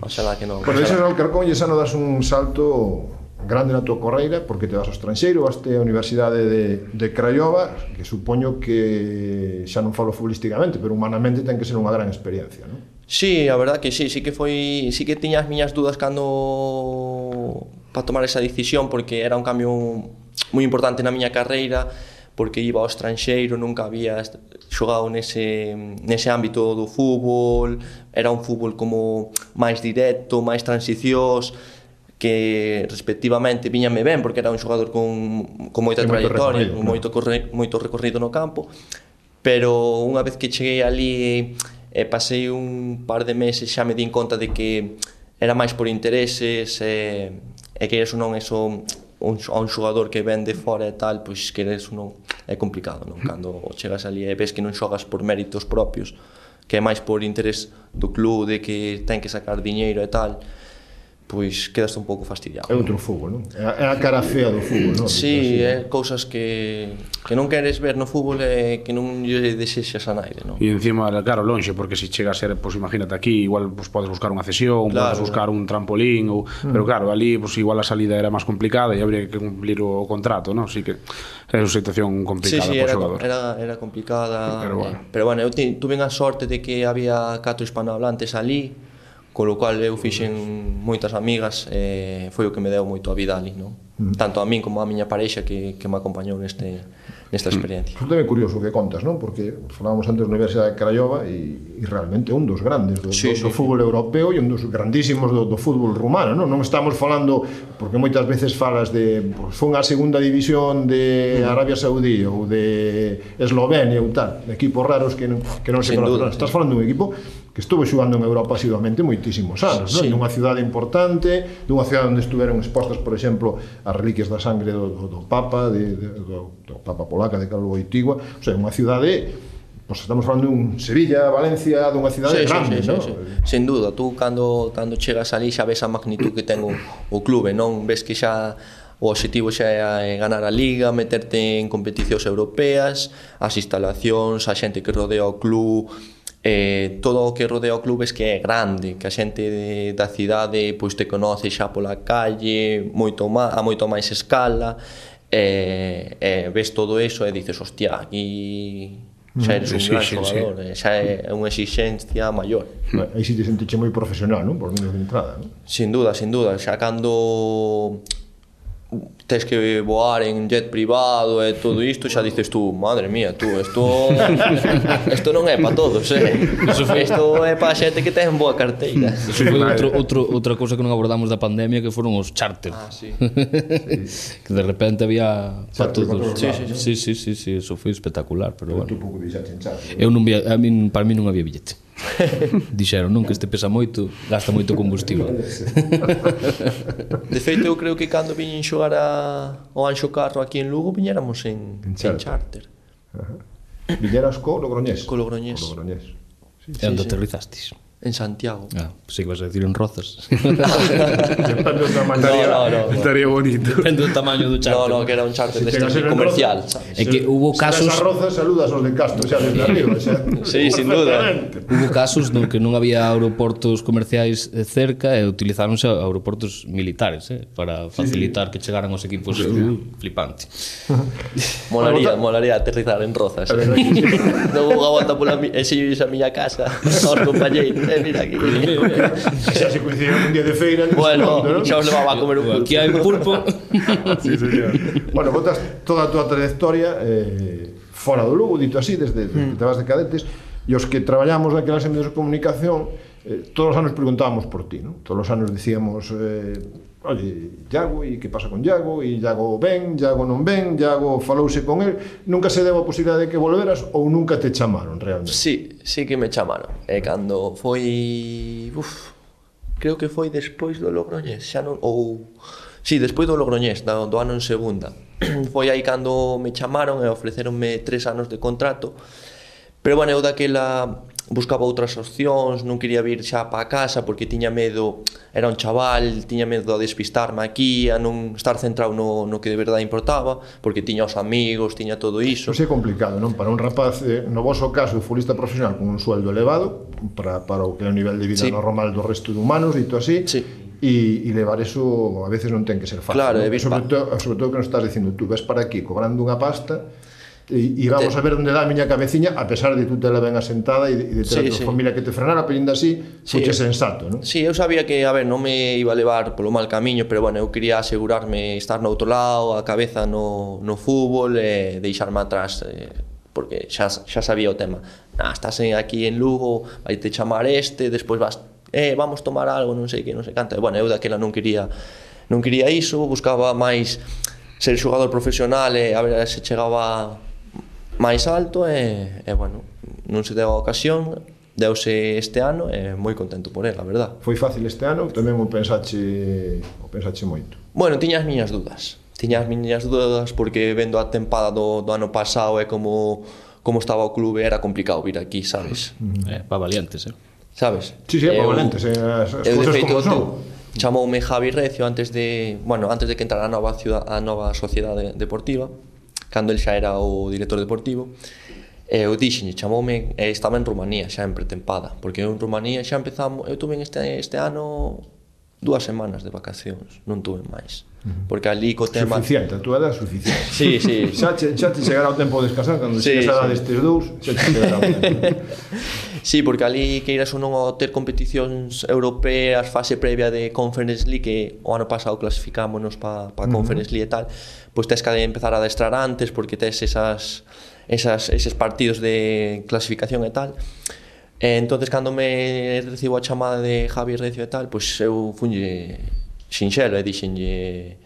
Oxalá que non. Pero ese no Alcorcón e xa non das un salto grande na tua carreira, porque te vas ao estranxeiro, vas a Universidade de Craiova, que supoño que xa non falo futbolísticamente, pero humanamente ten que ser unha gran experiencia, non? Sí, a verdad que sí que foi, sí que tiña as miñas dudas cando para tomar esa decisión, porque era un cambio moi importante na miña carreira, porque iba ao estranxeiro, nunca había xogado nese ámbito do fútbol, era un fútbol como máis directo, máis transicións, que respectivamente viñame ben, porque era un xogador con moita trayectoria, con moito recorrido no campo, pero unha vez que cheguei ali pasei un par de meses, xa me din conta de que era máis por intereses, e que eres non eso a un xogador que ven de fora e tal, pois que eres non é complicado, non? Cando chegas ali e ves que non xogas por méritos propios, que é máis por interés do club, de que ten que sacar diñeiro e tal, pois quedaste un pouco fastidiado. É outro fútbol, non? É a cara fea do fútbol, non? Sí, é cousas que non queres ver no fútbol e que non lle desexas a naide, non? E encima, claro, lonxe, porque se chega a ser, pois imagínate aquí, igual pois podes buscar unha cesión, claro, podes buscar un trampolín, pero claro, ali pois igual a salida era máis complicada e habría que cumplir o contrato, non? Así que é unha situación complicada para o xogador. Era complicada, pero bueno, eu tuve a sorte de que había 4 hispanohablantes ali, con lo cual eu fixen moitas amigas, foi o que me deu moito a vida ali, non? Tanto a min como a miña parexa que me acompañou nesta experiencia. Isto é curioso o que contas, non? Porque falábamos antes da Universidade de Craiova e realmente é un dos grandes do fútbol europeo e un dos grandísimos do fútbol rumano, non? Non estamos falando, porque moitas veces falas de fun a segunda división de Arabia Saudí ou de Eslovenia ou tal, de equipos raros que non se conocen. Estás falando dun equipo que estuvo xugando en Europa asiduamente moitísimos anos, non? Nunha cidade importante, dunha cidade onde estuveron expostas, por exemplo, as reliquias da sangre do Papa, do Papa polaca de Carlo Wojtyła, o sea, unha cidade, pues estamos falando dun Sevilla, Valencia, dunha cidade grande, non? Sin duda, tú cando chegas ali xa ves a magnitud que ten o clube, non? Ves que xa o objetivo xa é ganar a Liga, meterte en competicións europeas, as instalacións, a xente que rodea o club, todo o que rodea o club es que é grande, que a xente da cidade pois te conoce xa pola calle a moito máis escala, ves todo eso e dices, hostia, aquí xa eres un gran xogador, xa é unha exigencia maior. Aí si te sentiche moi profesional, non? Por menos de entrada, non? Sin duda, xa cando tes que voar en jet privado e todo isto, xa dices tú, madre mía, tú, isto non é para todos, isto é para xente que ten boa carteira. Iso foi outra cousa que non abordamos da pandemia, que foron os charter. Que de repente había para todos. Sí, eso foi espectacular, pero bueno. Para mí non había billete. Dixeron, non, que este pesa moito, gasta moito combustible. De feito, eu creo que cando viñen xogar ao Anxo Carro aquí en Lugo, viñéramos en charter. Viñeras co Logroñés? Co Logroñés. E onde aterrizastes? En Santiago. Pensei que vas a decir en Rozas. Depende do tamaño. Estaría bonito. Depende do tamaño do charter. No, que era un charter comercial. É que hubo casos... Se Rozas, saludas aos de Castro, xa desde arriba. Sí, sin duda. Hubo casos no que non había aeroportos comerciais cerca e utilizáronse aeroportos militares para facilitar que chegaran os equipos. Flipante. Molaría aterrizar en Rozas. Non vou a volta pola a miña casa aos compañeiros. Mira aquí. Xa se coincidieron un día de feira. Bueno, xa os levaba a comer un pulpo. Aquí hai un pulpo. Sí, señor. Bueno, botas toda a túa trayectoria fora do Lugo, dito así, desde que te vas de cadetes, e os que traballamos naquelas medios de comunicación, todos os anos preguntábamos por ti, non? Todos os anos dicíamos, oye, Iago, e que pasa con Iago? E Iago ven, Iago non ven, Iago falouse con el. Nunca se deu a posibilidade de que volveras ou nunca te chamaron realmente? Sí que me chamaron. E cando foi... creo que foi despois do Logroñés, xa non... Sí, despois do Logroñés, do ano en segunda. Foi aí cando me chamaron e ofreceronme 3 anos de contrato. Pero, bueno, eu daquela buscaba outras opcións, non quería vir xa para casa porque tiña medo, era un chaval, tiña medo de despistarme aquí, a non estar centrado no que de verdade importaba, porque tiña os amigos, tiña todo iso. Iso é complicado, non? Para un rapaz, no voso caso, futbolista profesional con un sueldo elevado, para o que é o nivel de vida normal do resto de humanos, dito así, e levar eso a veces non ten que ser fácil. Claro, sobre todo que nos estás dicindo, tú ves para aquí cobrando unha pasta e vamos a ver onde dá a miña cabeciña, a pesar de tú te la ben asentada e de ter a tua familia que te frenara, pero ainda así foche sensato, non? Sí, eu sabía que, a ver, non me iba a levar polo mal camiño, pero, bueno, eu quería asegurarme estar no outro lado, a cabeza no fútbol e deixarme atrás, porque xa sabía o tema. Estás aquí en Lugo, vai te chamar despois vas, vamos tomar algo, non sei que, non sei canto. E, bueno, eu daquela non quería iso, buscaba máis ser xogador profesional e a ver se chegaba máis alto e, bueno, non se deu a ocasión, deuse este ano e moi contento por ela, a verdad. Foi fácil este ano, tamén o pensache moito? Bueno, tiña as miñas dúdas porque vendo a tempada do ano pasado e como estaba o clube era complicado vir aquí, sabes? Para valientes, sabes? Sí, para valientes, as cousas como son. Chamoume Javi Recio antes de que entrara a nova sociedade deportiva, cando el xa era o director deportivo. Eu dixenlle, chamoume, estaba en Rumanía xa en pretempada, porque eu en Rumanía xa empezamos, eu tuve este ano 2 semanas de vacacións, non tuve máis. Porque ali co tema... Suficiente, a túa edad suficiente. Sí. Xa te chegará o tempo de descansar, cando chegas a destes dous, xa te chegará o tempo. Sí, porque ali que iras ou non ao ter competicións europeas, fase previa de Conference League, que o ano pasado clasificámonos para Conference League e tal, pois tes que empezar a adestrar antes porque tes eses partidos de clasificación e tal. Entonces, cando me recibo a chamada de Javi Recio e tal, pois eu funlle sinxelo e dixenlle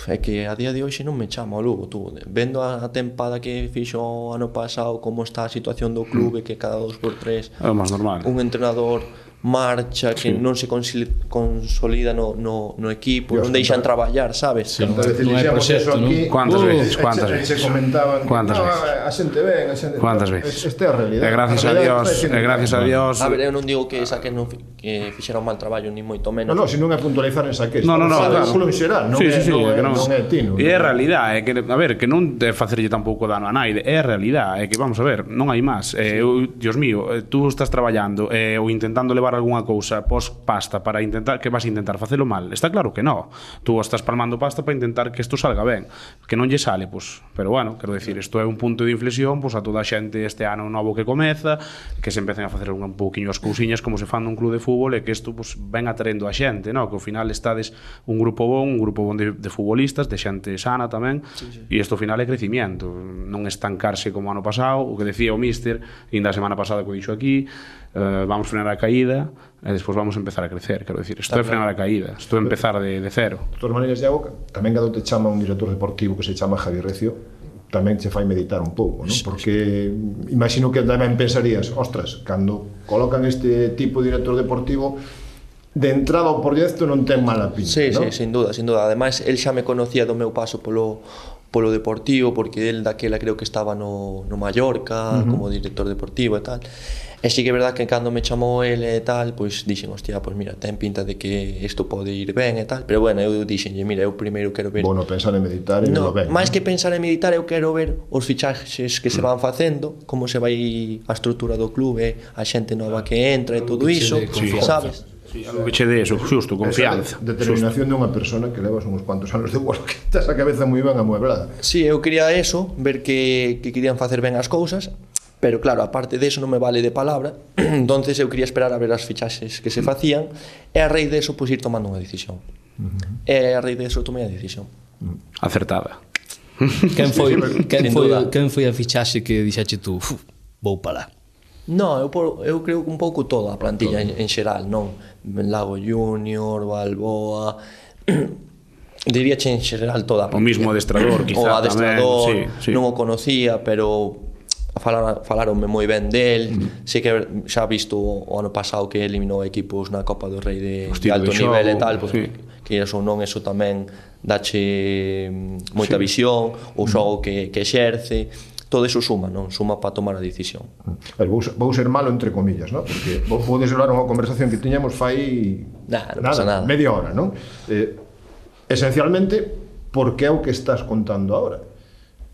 é que a día de hoxe non me chamo a Lugo, tú, vendo a tempada que fixo o ano pasado, como está a situación do clube, que cada 2x3 é o máis normal. Un entrenador marcha, que non se consolida no equipo, non deixan traballar, sabes? Non hai proxecto, non? Cuántas veces? Se comentaban, cuántas veces? A xente ben, a xente... Cuántas veces? Esta é a realidade. E gracias a Dios... A ver, eu non digo que que fixeron mal traballo, ni moito menos. Non, se non é puntualizar en Saqués. No, claro. Club en xeral, non é Tino. E é a realidade, é que, a ver, que non te facerlle tampouco dano a naide, é a realidade, é que, vamos a ver, non hai máis. Dios mío, tú estás traballando ou intentando levar algunha cousa pos pasta para intentar, que vas a intentar facelo mal. Está claro que non. Tú estás palmando pasta para intentar que isto salga ben. Que non lle sale, pois, pero bueno, quero dicir, isto é un punto de inflexión, pois a toda a xente este ano novo que comeza, que se empecen a facer un pouquiño as cousiñas como se fan nun club de fútbol e que isto pois ven atraendo a xente, no? Que ao final estades un grupo bon de futbolistas, de xente sana tamén, e isto ao final é crecimiento, non estancarse como ano pasado, o que decía o míster, ainda a semana pasada que o dixo aquí, vamos frenar a caída e despois vamos empezar a crecer, quero dicir, isto é frenar a caída, isto é empezar de cero. De todas maneiras, Iago, tamén cando te chama un director deportivo que se chama Javi Recio, tamén te fai meditar un pouco, non? Porque imagino que tamén pensarías, ostras, cando colocan este tipo de director deportivo, de entrada ao proxecto non ten mala pinta, non? Sí, sin duda. Ademais, el xa me conocía do meu paso polo Deportivo, porque el daquela creo que estaba no Mallorca como director deportivo e tal. E sí que é verdad que cando me chamou ele e tal, pois dixen, hostia, pois mira, ten pinta de que isto pode ir ben e tal, pero bueno, eu dixenlle, mira, eu primeiro quero ver... Bueno, pensar en meditar e non ben. Máis que pensar en meditar, eu quero ver os fichaxes que se van facendo, como se vai a estrutura do clube, a xente nova que entra e todo iso, sabes? Algo que che dé eso, xusto, confianza. Determinación dunha persona que levas uns cuantos anos de vuelo, que estás a cabeza moi ben amueblada. Sí, eu quería eso, ver que querían facer ben as cousas, pero claro, aparte de eso non me vale de palabra, entonces eu quería esperar a ver as fichaxes que se facían e a raíz de eso pois ir tomando unha decisión. E a raíz de eso tomei a decisión. Acertada. Quen foi a fichaxe que dixache tú, vou para lá? No, eu creo que un pouco toda a plantilla en xeral, non? Lago Junior, Balboa, diríache en xeral toda a plantilla. O mismo adestrador, quizá, o adestrador, tamén, sí. Non o conocía, pero falaronme moi ben del. Sei que xa visto o ano pasado que eliminou equipos na Copa do Rei de alto nivel e tal, pues, que iso non, eso tamén dache moita visión, o xogo que exerce. Todo eso suma, non? Suma para tomar a decisión. Vou ser malo entre comillas, non? Porque podes hablar unha conversación que tiñamos fai nada, media hora, non? Esencialmente, porque é o que estás contando agora.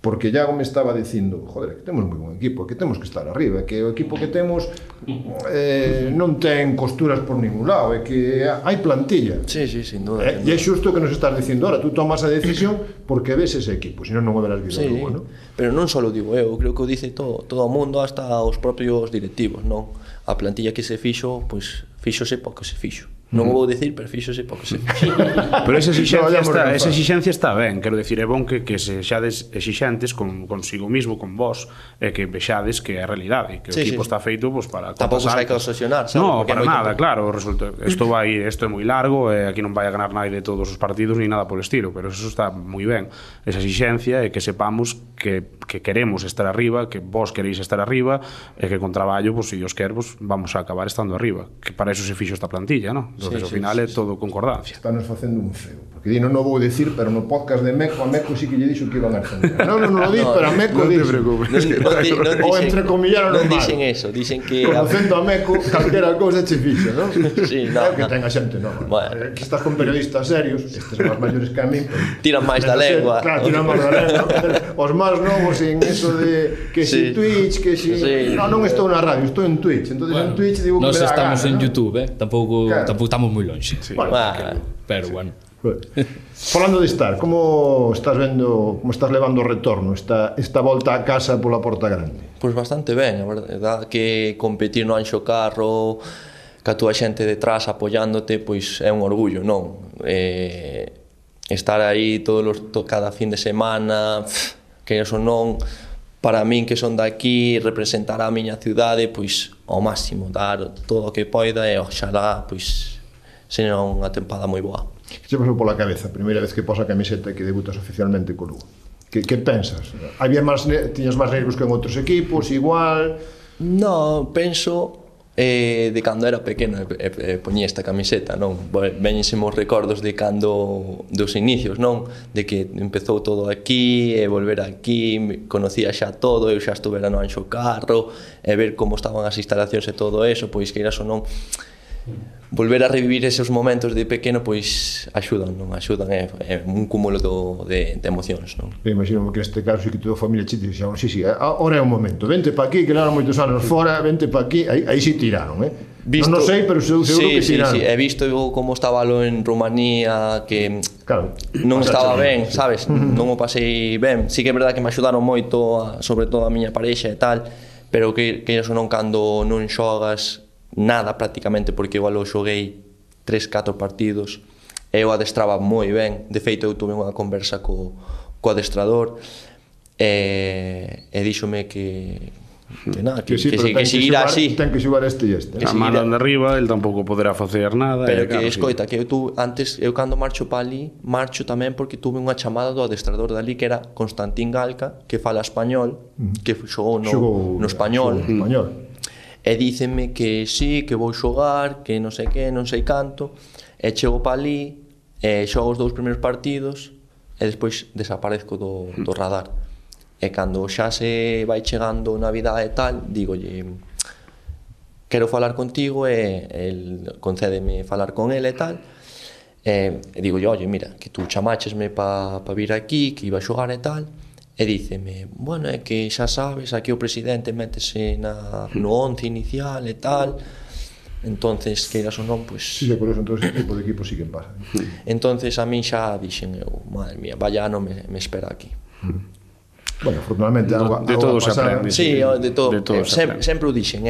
Porque Iago me estaba dicindo, joder, que temos moi bon equipo, que temos que estar arriba, que o equipo que temos non ten costuras por ningún lado, é que hai plantilla. Sí, sin duda. E é xusto que nos estás dicindo ahora, tú tomas a decisión porque ves ese equipo, senón non o verás visto luego, non? Pero non só digo eu, creo que o dice todo o mundo, hasta os propios directivos, non? A plantilla que se fixo, pois fíxose porque se fixo. Non o vou dicir, pero fíxose porque se fixo. Pero esa exixencia está ben, quero dicir, é bon que sexades exixentes consigo mismo, con vos, e que vexades que é a realidade, que o equipo está feito pues, para tampouco hai que obsesionar, sabes? No, para nada, claro, isto é moi largo, e aquí non vai a ganar nadie de todos os partidos ni nada polo estilo, pero eso está moi ben, esa exixencia e que sepamos que queremos estar arriba, que vos queréis estar arriba, e que con traballo, pues, se Dios quer, pues, vamos a acabar estando arriba, que para eso se fixo esta plantilla, non? Entonces, ao final é todo concordancia. Estános facendo un feo. Porque non o vou dicir, pero no podcast de Meco, a Meco sí que lle dixo que iban a ascender. Non o di, pero a Meco dixo. O entrecomillaron non dicen eso, dicen que... Conocendo a Meco, calquera cousa che fixa, non? Sí, non. Que ten a xente, non. Que estás con periodistas serios, estes son os maiores que a min. Tiran máis da lengua. Claro, tiran máis da lengua. Os máis novos en eso de que si Twitch, que si... Non estou na radio, estou en Twitch. Entonces en Twitch digo que me dá gana. Nós estamos en YouTube, tampouco estamos moi lonxe. Bueno, pero bueno. Falando de estar, como estás vendo, como estás levando o retorno, esta volta a casa pola Porta Grande? Pois bastante ben, a verdade que competir no Anxo Carro, ca túa xente detrás apoiándote, pois é un orgullo, non? Estar aí cada fin de semana, que eso non, para min que son daqui, representar a miña cidade, pois ao máximo, dar todo o que poida e oxalá, pois, seña unha tempada moi boa. Que che pasou pola cabeza a primeira vez que posa a camiseta e que debutas oficialmente co Lugo? Que pensas? Tiñas máis nervios que en outros equipos, igual? No, penso de cando era pequeno poñía esta camiseta, non? Veñensemos recordos de cando dos inicios, non? De que empezou todo aquí e volver aquí, conocía xa todo, eu xa estuvera no Anxo Carro e ver como estaban as instalacións e todo eso, pois que iras ou non volver a revivir esos momentos de pequeno, pois axudan, non? Axudan, é un cúmulo de emocións, non? Imagino que neste caso sí que toda a familia che dixeron, sí, ahora é o momento, vente pa aquí, que levan moitos anos fora, vente pa aquí, aí sí tiraron, non sei, pero seguro que tiraron. Sí, he visto como estaba lo en Rumanía, que claro, non estaba ben, sabes? Non o pasei ben. Sí que é verdade que me axudaron moito, sobre todo a miña parexa e tal, pero que eso non, cando non xogas nada prácticamente, porque igual eu xoguei 3-4 partidos e eu adestraba moi ben. De feito, eu tuve unha conversa co adestrador e díxome que seguirá así, ten que xogar este e este, a mano de arriba, el tampouco poderá facer nada, pero que escoita, que eu cando marcho pa ali, marcho tamén porque tuve unha chamada do adestrador dali, que era Constantín Galca, que fala español, que xogou no español, e dícenme que sí, que vou xogar, que non sei que, non sei canto, e chego pa ali, e xogo os 2 primeiros partidos, e despois desaparezco do radar. E cando xa se vai chegando Navidade e tal, dígolle, quero falar contigo, e el concédeme falar con ele e tal, e dígolle, oye, mira, que tú chamáchesme pa vir aquí, que iba a xogar e tal. E díceme, bueno, é que xa sabes, aquí o presidente métese no 11 inicial e tal, entonces, queiras ou non, pois... Sí, por eso, entonces, ese tipo de equipo sí que pasa. Entonces, a min xa dixen eu, madre mía, vaya ano me espera aquí. Bueno, afortunadamente, de todo se aprende. Sí, de todo sempre o dixen,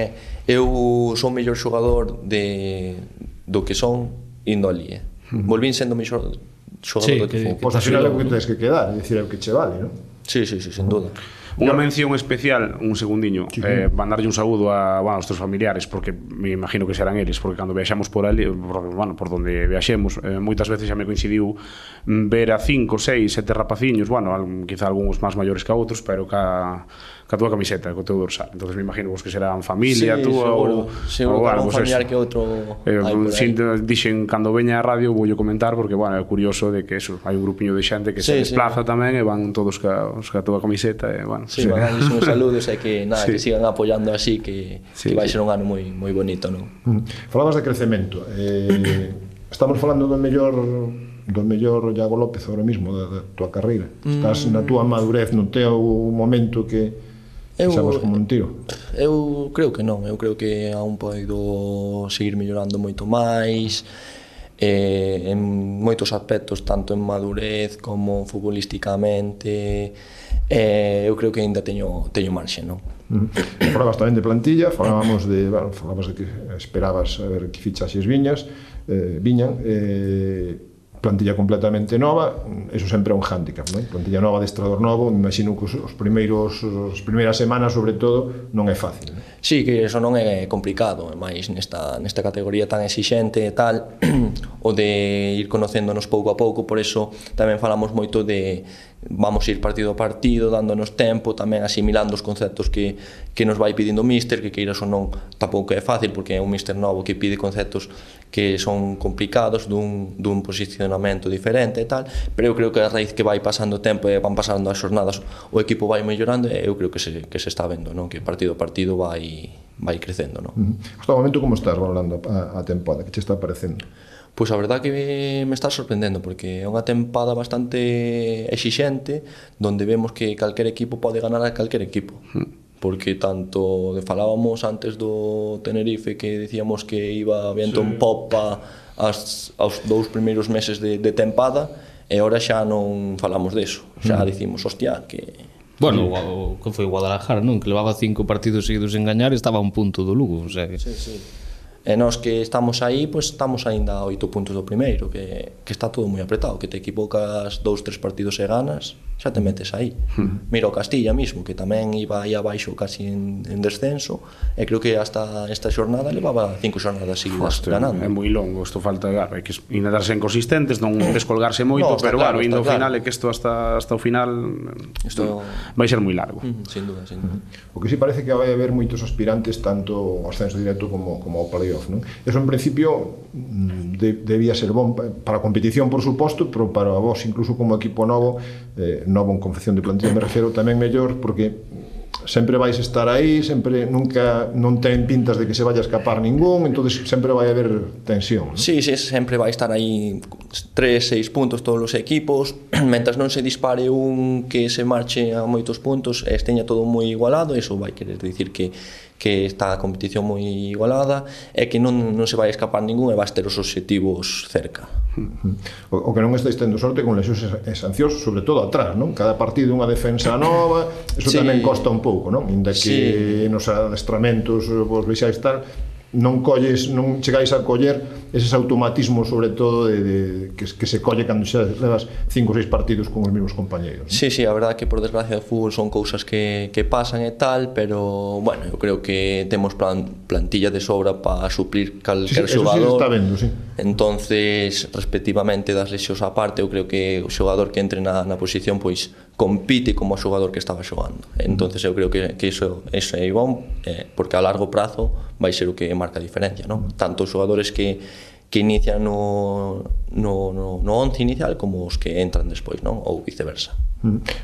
eu son o mellor xogador do que son indo ali, volvín sendo o mellor xogador do que fui. Pois ao final é o que tens que quedar, é dicir, é o que che vale, non? Sí, sin duda. Unha mención especial, un segundiño, mandarlle un saúdo aos teus familiares, porque me imagino que serán eles, porque cando viaxamos por ali, por donde viaxemos, moitas veces xa me coincidiu ver a 5, 6, 7 rapaciños, quizá algúns máis maiores que outros, pero ca túa camiseta, co teu dorsal. Entonces me imagino que serán familia, túa ou algo, un familiar que outro. Dixen, cando veña a radio voulle comentar, porque, é curioso de que hai un grupiño de xente que se desplaza tamén e van todos ca túa camiseta, Sí, mandarles uns saludos e que que sigan apoiando así, que vai ser un ano moi bonito, non? Falabas de crecemento. Estamos falando do mellor Iago López agora mesmo da túa carreira. Estás na túa madurez, no teu momento que sabes como un tiro? Eu creo que non, eu creo que aún podo seguir mellorando moito máis en moitos aspectos, tanto en madurez como futbolísticamente. Eu creo que ainda teño marxe, non? Falabas tamén de plantilla, falabas de que esperabas a ver que fichaxes viñan, plantilla completamente nova, eso sempre é un hándicap, non? Plantilla nova, adestrador novo, me imagino que as primeiras semanas, sobre todo, non é fácil, non? Sí, que eso non é complicado, máis nesta categoría tan exixente e tal, o de ir conocéndonos pouco a pouco, por eso tamén falamos moito de vamos ir partido a partido, dándonos tempo, tamén asimilando os conceptos que nos vai pedindo o míster, que queiras ou non tampouco é fácil, porque é un míster novo que pide conceptos que son complicados, dun posicionamento diferente e tal, pero eu creo que a raíz que vai pasando o tempo e van pasando as xornadas, o equipo vai mellorando e eu creo que se está vendo, non? Que partido a partido vai crecendo, non? Hasta o momento como estás valorando a tempada? Que che está parecendo? Pois a verdade que me está sorprendendo, porque é unha tempada bastante exixente, donde vemos que calquer equipo pode ganar a calquer equipo, porque tanto falábamos antes do Tenerife, que decíamos que iba viento en popa aos 2 primeiros meses de tempada, e ahora xa non falamos deso, xa dicimos, hostia, que... Bueno, que foi o Guadalajara, non? Que levaba 5 partidos seguidos en gañar e estaba a un punto do Lugo, o sea que... Sí. E nós que estamos aí, pois estamos aínda a 8 puntos do primeiro, que está todo moi apretado, que te equivocas 2-3 partidos e ganas, xa te metes aí. Mira o Castilla mismo, que tamén iba aí abaixo casi en descenso, e creo que hasta esta xornada levaba 5 xornadas seguidas ganando. É moi longo, isto falta, claro, hai que intentarse inconsistentes, non descolgarse moito, pero claro, indo ao final é que isto hasta o final isto vai ser moi largo. Sin duda. O que sí parece que vai haber moitos aspirantes tanto ao ascenso directo como ao playoff, non? Eso en principio debía ser bon para a competición, por suposto, pero para vos incluso como equipo novo en confección de plantilla me refiro tamén mellor, porque sempre vais estar aí, sempre nunca non ten pintas de que se vaya a escapar ningún, entonces sempre vai haber tensión, ¿no? Sí, sempre vai estar aí 3-6 puntos todos os equipos, mentras non se dispare un que se marche a moitos puntos e esteña todo moi igualado, eso vai querer dicir que está a competición moi igualada e que non se vai escapar ningún e vais ter os obxectivos cerca. O que non estáis tendo sorte con lesións e sancións, sobre todo atrás, non? Cada partido unha defensa nova, eso tamén costa un pouco, non? Inda que nos adestramentos vos vexáis tal, non chegáis a coller eses automatismos, sobre todo que se colle cando xa levas 5 ou 6 partidos con os mesmos compañeiros, non? Sí, a verdade que por desgracia do fútbol son cousas que pasan e tal, pero bueno, eu creo que temos plantilla de sobra para suplir calquer xogador. Eso sí está vendo, sí. Entonces, respectivamente das lesións á parte, eu creo que o xogador que entre na posición pois compite como o xogador que estaba xogando. Entonces eu creo que iso é bom, porque a largo prazo vai ser o que marca a diferencia, non? Tanto os xogadores que inician no 11 inicial como os que entran despois, non? Ou viceversa.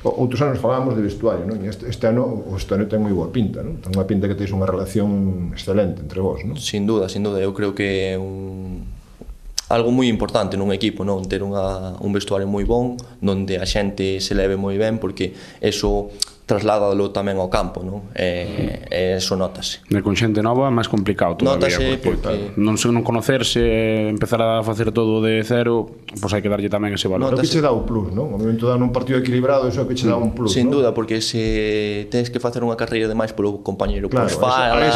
Outros anos falábamos de vestuario, non? Este ano o vestuario ten moi boa pinta, non? Ten unha pinta que teis unha relación excelente entre vós, non? Sin duda, eu creo que é algo moi importante nun equipo, non? Ter un vestuario moi bon, onde a xente se leve moi ben, porque eso trasládalo tamén ao campo, non? E eso notase. Con xente nova é máis complicado todavía, notase porque non conocerse, empezar a facer todo de cero, pois hai que darlle tamén ese valor. Pero que che dá o plus, non? O momento de dar un partido equilibrado, eso é que che dá un plus, sin duda, porque se tens que facer unha carreira de máis polo compañeiro, claro, pois fala,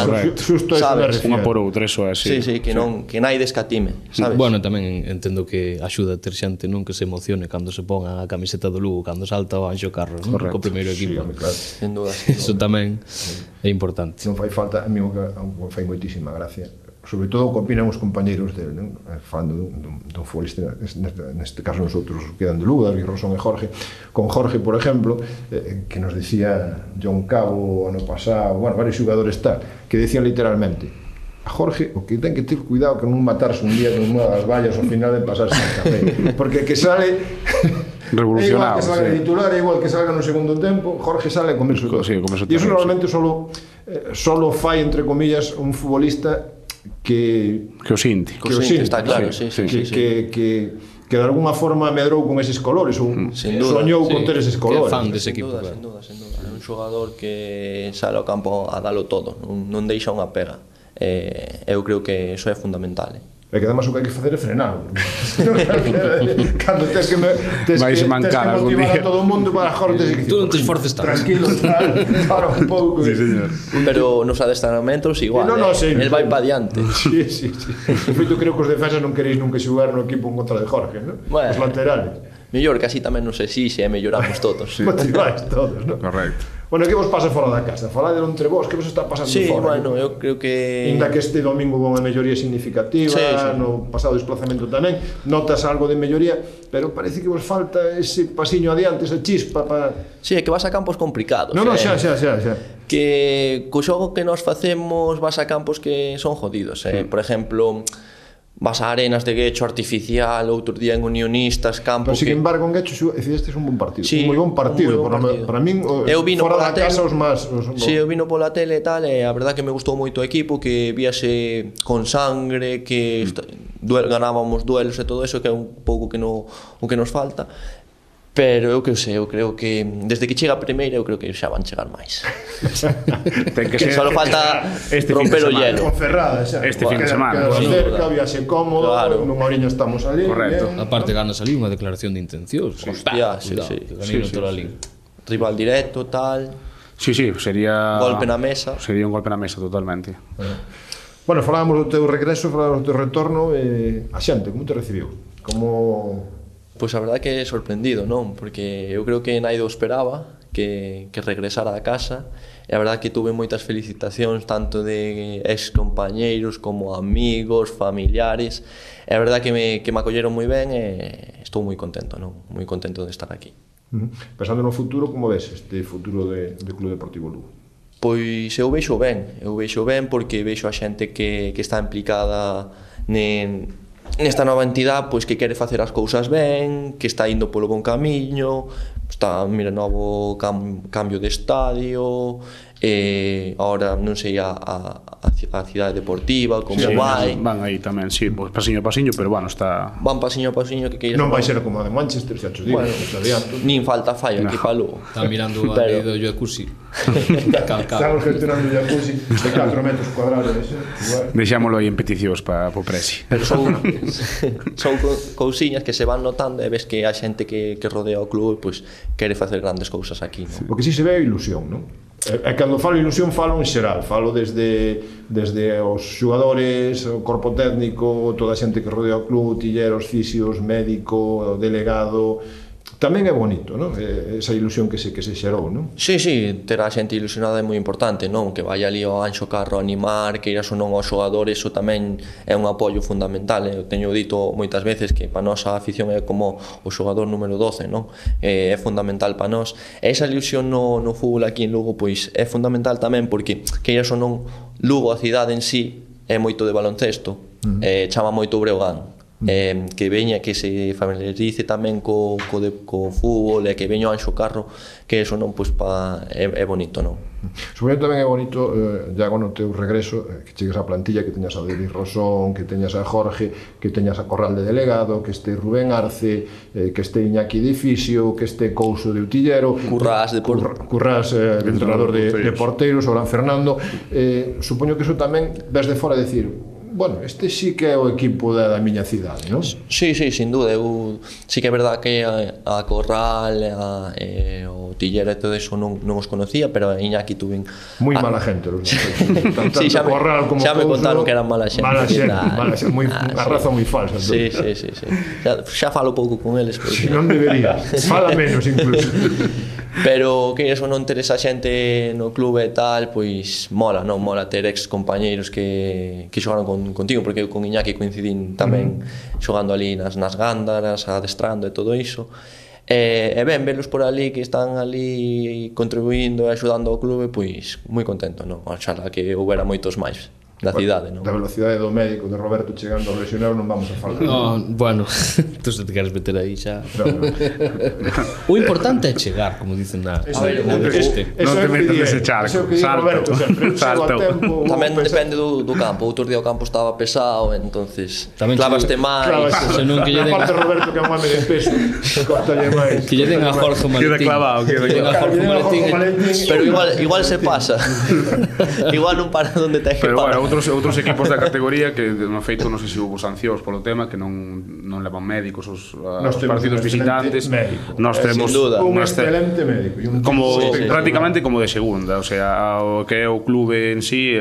sabes, unha por outra, eso é así. Sí, que naide escatime, sabes? Bueno, tamén entendo que axuda a ter xente non que se emocione cando se ponga a camiseta do Lugo, cando salta o Anxo Carros, non? Co primeiro equipo. Claro. Sin duda. Eso tamén é importante. Non fai falta, a mí fai moitísima gracia, sobre todo o que opinan os compañeiros dele, non? Falando dun futbolista, neste caso nosotros quedan de Lugo, David Rosón e Jorge. Con Jorge, por exemplo, que nos decía John Cabo ano pasado, bueno, varios xogadores tal, que decían literalmente: a Jorge o que ten que ter cuidado que non matarse un día con unha das vallas ao final de pasarse a café, porque que sale revolucionado, igual que salga de titular, igual que salga no segundo tempo, Jorge sale a comerse todo. Sí, e iso normalmente solo fai, entre comillas, un futbolista que o sinti, está claro, que de alguna forma medrou con eses colores ou soñou con ter eses colores. Que fan dese equipo. Sin duda. É un xogador que sale ao campo a dalo todo, non deixa unha pega. Eu creo que iso é fundamental. É que además o que hai que facer é frenar. Cando tens que motivar a todo o mundo para Jorge, tú non te esforces tanto. Tranquilo, para un pouco. Sí, señor. Pero nos adestramentos igual, el vai pa diante. Sí. De feito, creo que os defensas non queréis nunca xogar no equipo en contra de Jorge, non? Os laterales. Mellor que así tamén nos exixe e melloramos todos. Motiváis todos, non? Correcto. Bueno, que vos pasa fora da casa? Faladelo entre vos, que vos está pasando fora? Sí, bueno, eu creo que... Inda que este domingo houve unha melloría significativa, no pasado desplazamento tamén, notas algo de melloría, pero parece que vos falta ese pasiño adiante, esa chispa para... Sí, é que vas a campos complicados. Non, xa. Que co xogo que nos facemos vas a campos que son jodidos, Por exemplo... vas a Arenas de Guecho artificial, outro día en Unionistas, campo. Pero sin embargo en Guecho fizestes un bon partido, sí, un moi bon partido. Para min fora da casa os máis. Sí, eu vino pola tele e tal, e a verdad que me gustou moito o equipo, que víase con sangre, que ganábamos duelos e todo eso, que é un pouco o que nos falta. Pero eu que sei, eu creo que desde que chega a primeira eu creo que xa van chegar máis. Ten que Que ser só falta romper o hielo. Conferrada, xa. Este fin de semana. Queda cerca, viaxe cómodo, Claro. nunha oriña estamos ali. Correcto. bien. Aparte ganas ali unha declaración de intencións. Hostia, sí, Cuidado, sí. que ganeiro Toralín. Rival directo, tal, Sí, sería... golpe na mesa. Sería un golpe na mesa, totalmente. Bueno, falábamos do teu regreso, falábamos do teu retorno, a xente, como te recibiu? Como... Pois a verdade que sorprendido, non? Porque eu creo que naido esperaba que regresara a casa e a verdade que tuve moitas felicitacións tanto de ex compañeiros como amigos, familiares e a verdade que me acolleron moi ben e estou moi contento, non? Moi contento de estar aquí. Pensando no futuro, como ves este futuro de Club Deportivo Lugo? Pois eu vexo ben porque vexo a xente que está implicada nesta nova entidade, pois que quere facer as cousas ben, que está indo polo bon camiño, está, mira, novo cambio de estadio, ahora non sei a cidade deportiva, como vai. Van aí tamén, sí, pues pasiño a pasiño, pero bueno, está... Van pasiño a pasiño que queiras. Non vai ser como a de Manchester, xa te digo, Bueno, xa adianto. nin falta fallo aquí para Lugo. Está mirando a lei do jacuzzi. Estamos gestionando un jacuzzi de 4 metros cuadrados, igual. Deixámoslo aí en peticións para o Presi. Pero son cousiñas que se van notando e ves que a xente que rodea o clube pois quere facer grandes cousas aquí, non? Porque si se ve a ilusión, non? E cando falo ilusión falo en xeral, falo desde os xogadores, o corpo técnico, toda a xente que rodea o club, tilleros, fisios, médico, delegado. Tamén é bonito, non? Esa ilusión que se xerou, non? Sí, ter a xente ilusionada é moi importante, non? Que vai ali ao Anxo Carro a animar, que iras ou non aos xogadores, iso tamén é un apoio fundamental. Eu teño dito moitas veces que para nós a afición é como o xogador número 12, non? É fundamental para nós. E esa ilusión no fútbol aquí en Lugo, pois é fundamental tamén porque que iras ou non Lugo, a cidade en sí, é moito de baloncesto, chama moito o Breogán. Que veña, que se familiarice tamén co fútbol e que veña o Anxo Carro, que eso non, pois, é bonito, non? Supoño tamén é bonito, Iago, no teu regreso, que chegues á plantilla, que teñas a David Rosón, que teñas a Jorge, que teñas a Corral de delegado, que este Rubén Arce, que este Iñaki de fisio, que este Couso de Utillero, Currás de entrenador de porteiros, o gran Fernando. Supoño que iso tamén ves de fora decir, bueno, este sí que é o equipo da miña cidade, non? Sí, sin duda. Eu sí que é verdad que a Corral, o Tillero e todo eso non os conocía, pero a Iñaki tuven... Moi mala gente, los sí, xa me contaron que eran mala xente. Mala xente, a raza moi falsa. Sí. Xa falo pouco con eles. Si non debería, fala menos incluso. Pero que eso non ter esa xente no clube e tal, pois mola, non? Mola ter ex compañeiros que xogaron contigo, porque eu con Iñaki coincidín tamén xogando ali nas gándaras, adestrando e todo iso. E ben, velos por ali, que están ali contribuindo e axudando ao clube, pois moi contento, non? Oxalá que houbera moitos máis da cidade, non? Da velocidade do médico de Roberto chegando ao lesionero non vamos a falar. No, bueno, tú se te queres meter aí xa. No. O importante é chegar, como dicen na Non este. te metas nese charco, salto. Tamén depende do campo. Outro día o campo estaba pesado, entonces clavaste máis. Senón que lle den aparte Roberto, que é un home de peso, cortalle máis. Que lle den a Jorge Maletín. Queda clavado, Que lle den a Jorge Maletín. Pero igual se pasa. Igual non para onde ten que Pero parar. bueno, outros equipos da categoría que no feito non sei se hubo sancións polo tema, que non levan médicos os partidos visitantes. Nós temos un excelente médico como sí, prácticamente como de segunda, o sea, o que é o clube en sí,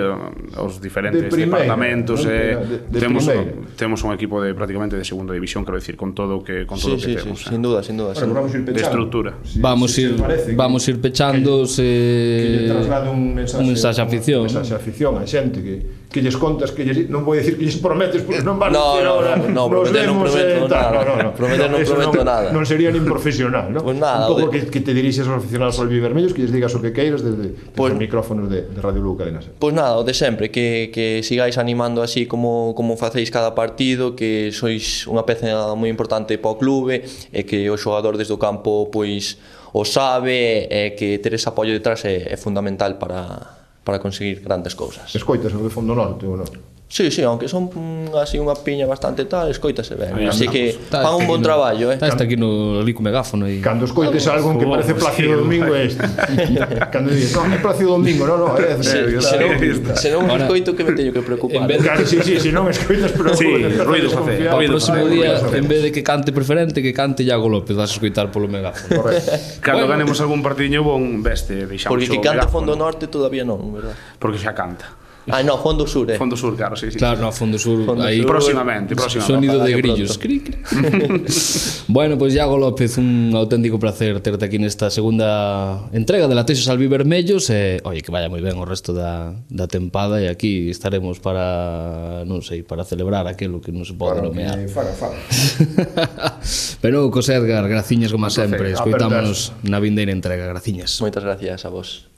os diferentes departamentos, temos un equipo de prácticamente de segunda división, quero decir, con todo o que temos. Sin duda. De estrutura. Vamos ir pechando que lle traslade un mensaxe a afición. Un mensaxe a afición, a xente que lles contas, que lles, non vou dicir que lles prometes, porque non van a dicir ahora. Prometer non prometo nada. Non sería nin profesional, non? Pues nada, un pouco que te dirixes aos aficionados albivermellos, que lles digas o que queiras desde os micrófonos de Radio Lugo Cadena Ser. Pois nada, o de sempre, que sigáis animando así como facéis cada partido, que sois unha peza moi importante para o clube e que o xogador desde o campo pois o sabe e que ter ese apoio detrás é fundamental para conseguir grandes cousas. Escoitas o de Fondo Norte ou non? Sí, aunque son así unha piña bastante tal, escoítase ben. Aí Así que Está fan un bon traballo, Está aquí no ali co megáfono e Cando escoites algo que parece Plácido Domingo é este. Cando dices, non, é Plácido Domingo, non, é... Se non escoito que me teño que preocupar. Claro, sí, se non escoitas, pero... Sí, ruido facer. o próximo día, en vez de que cante preferente, que cante Iago López, vas a escoitar polo megáfono. Cando ganemos algún partidiño bon, veste, deixamos Porque que o canta megáfono. Fondo Norte todavía non, verdad? Porque xa canta. Ah, no, Fondo Sur, Fondo Sur, claro, sí. Claro, no, Fondo Sur, aí Próximamente. sonido de Ojalá que grillos. pronto. Cri, cri. Bueno, pues Iago López, un auténtico placer terte aquí nesta segunda entrega de Latexos Albivermellos e, oye, que vaya moi ben o resto da tempada e aquí estaremos para, non sei, para celebrar aquilo que non se pode nomear. Faga. Pero, Cos Edgar, graciñas como sempre, placer. escoitámonos na vindeira entrega, graciñas. Moitas gracias a vos.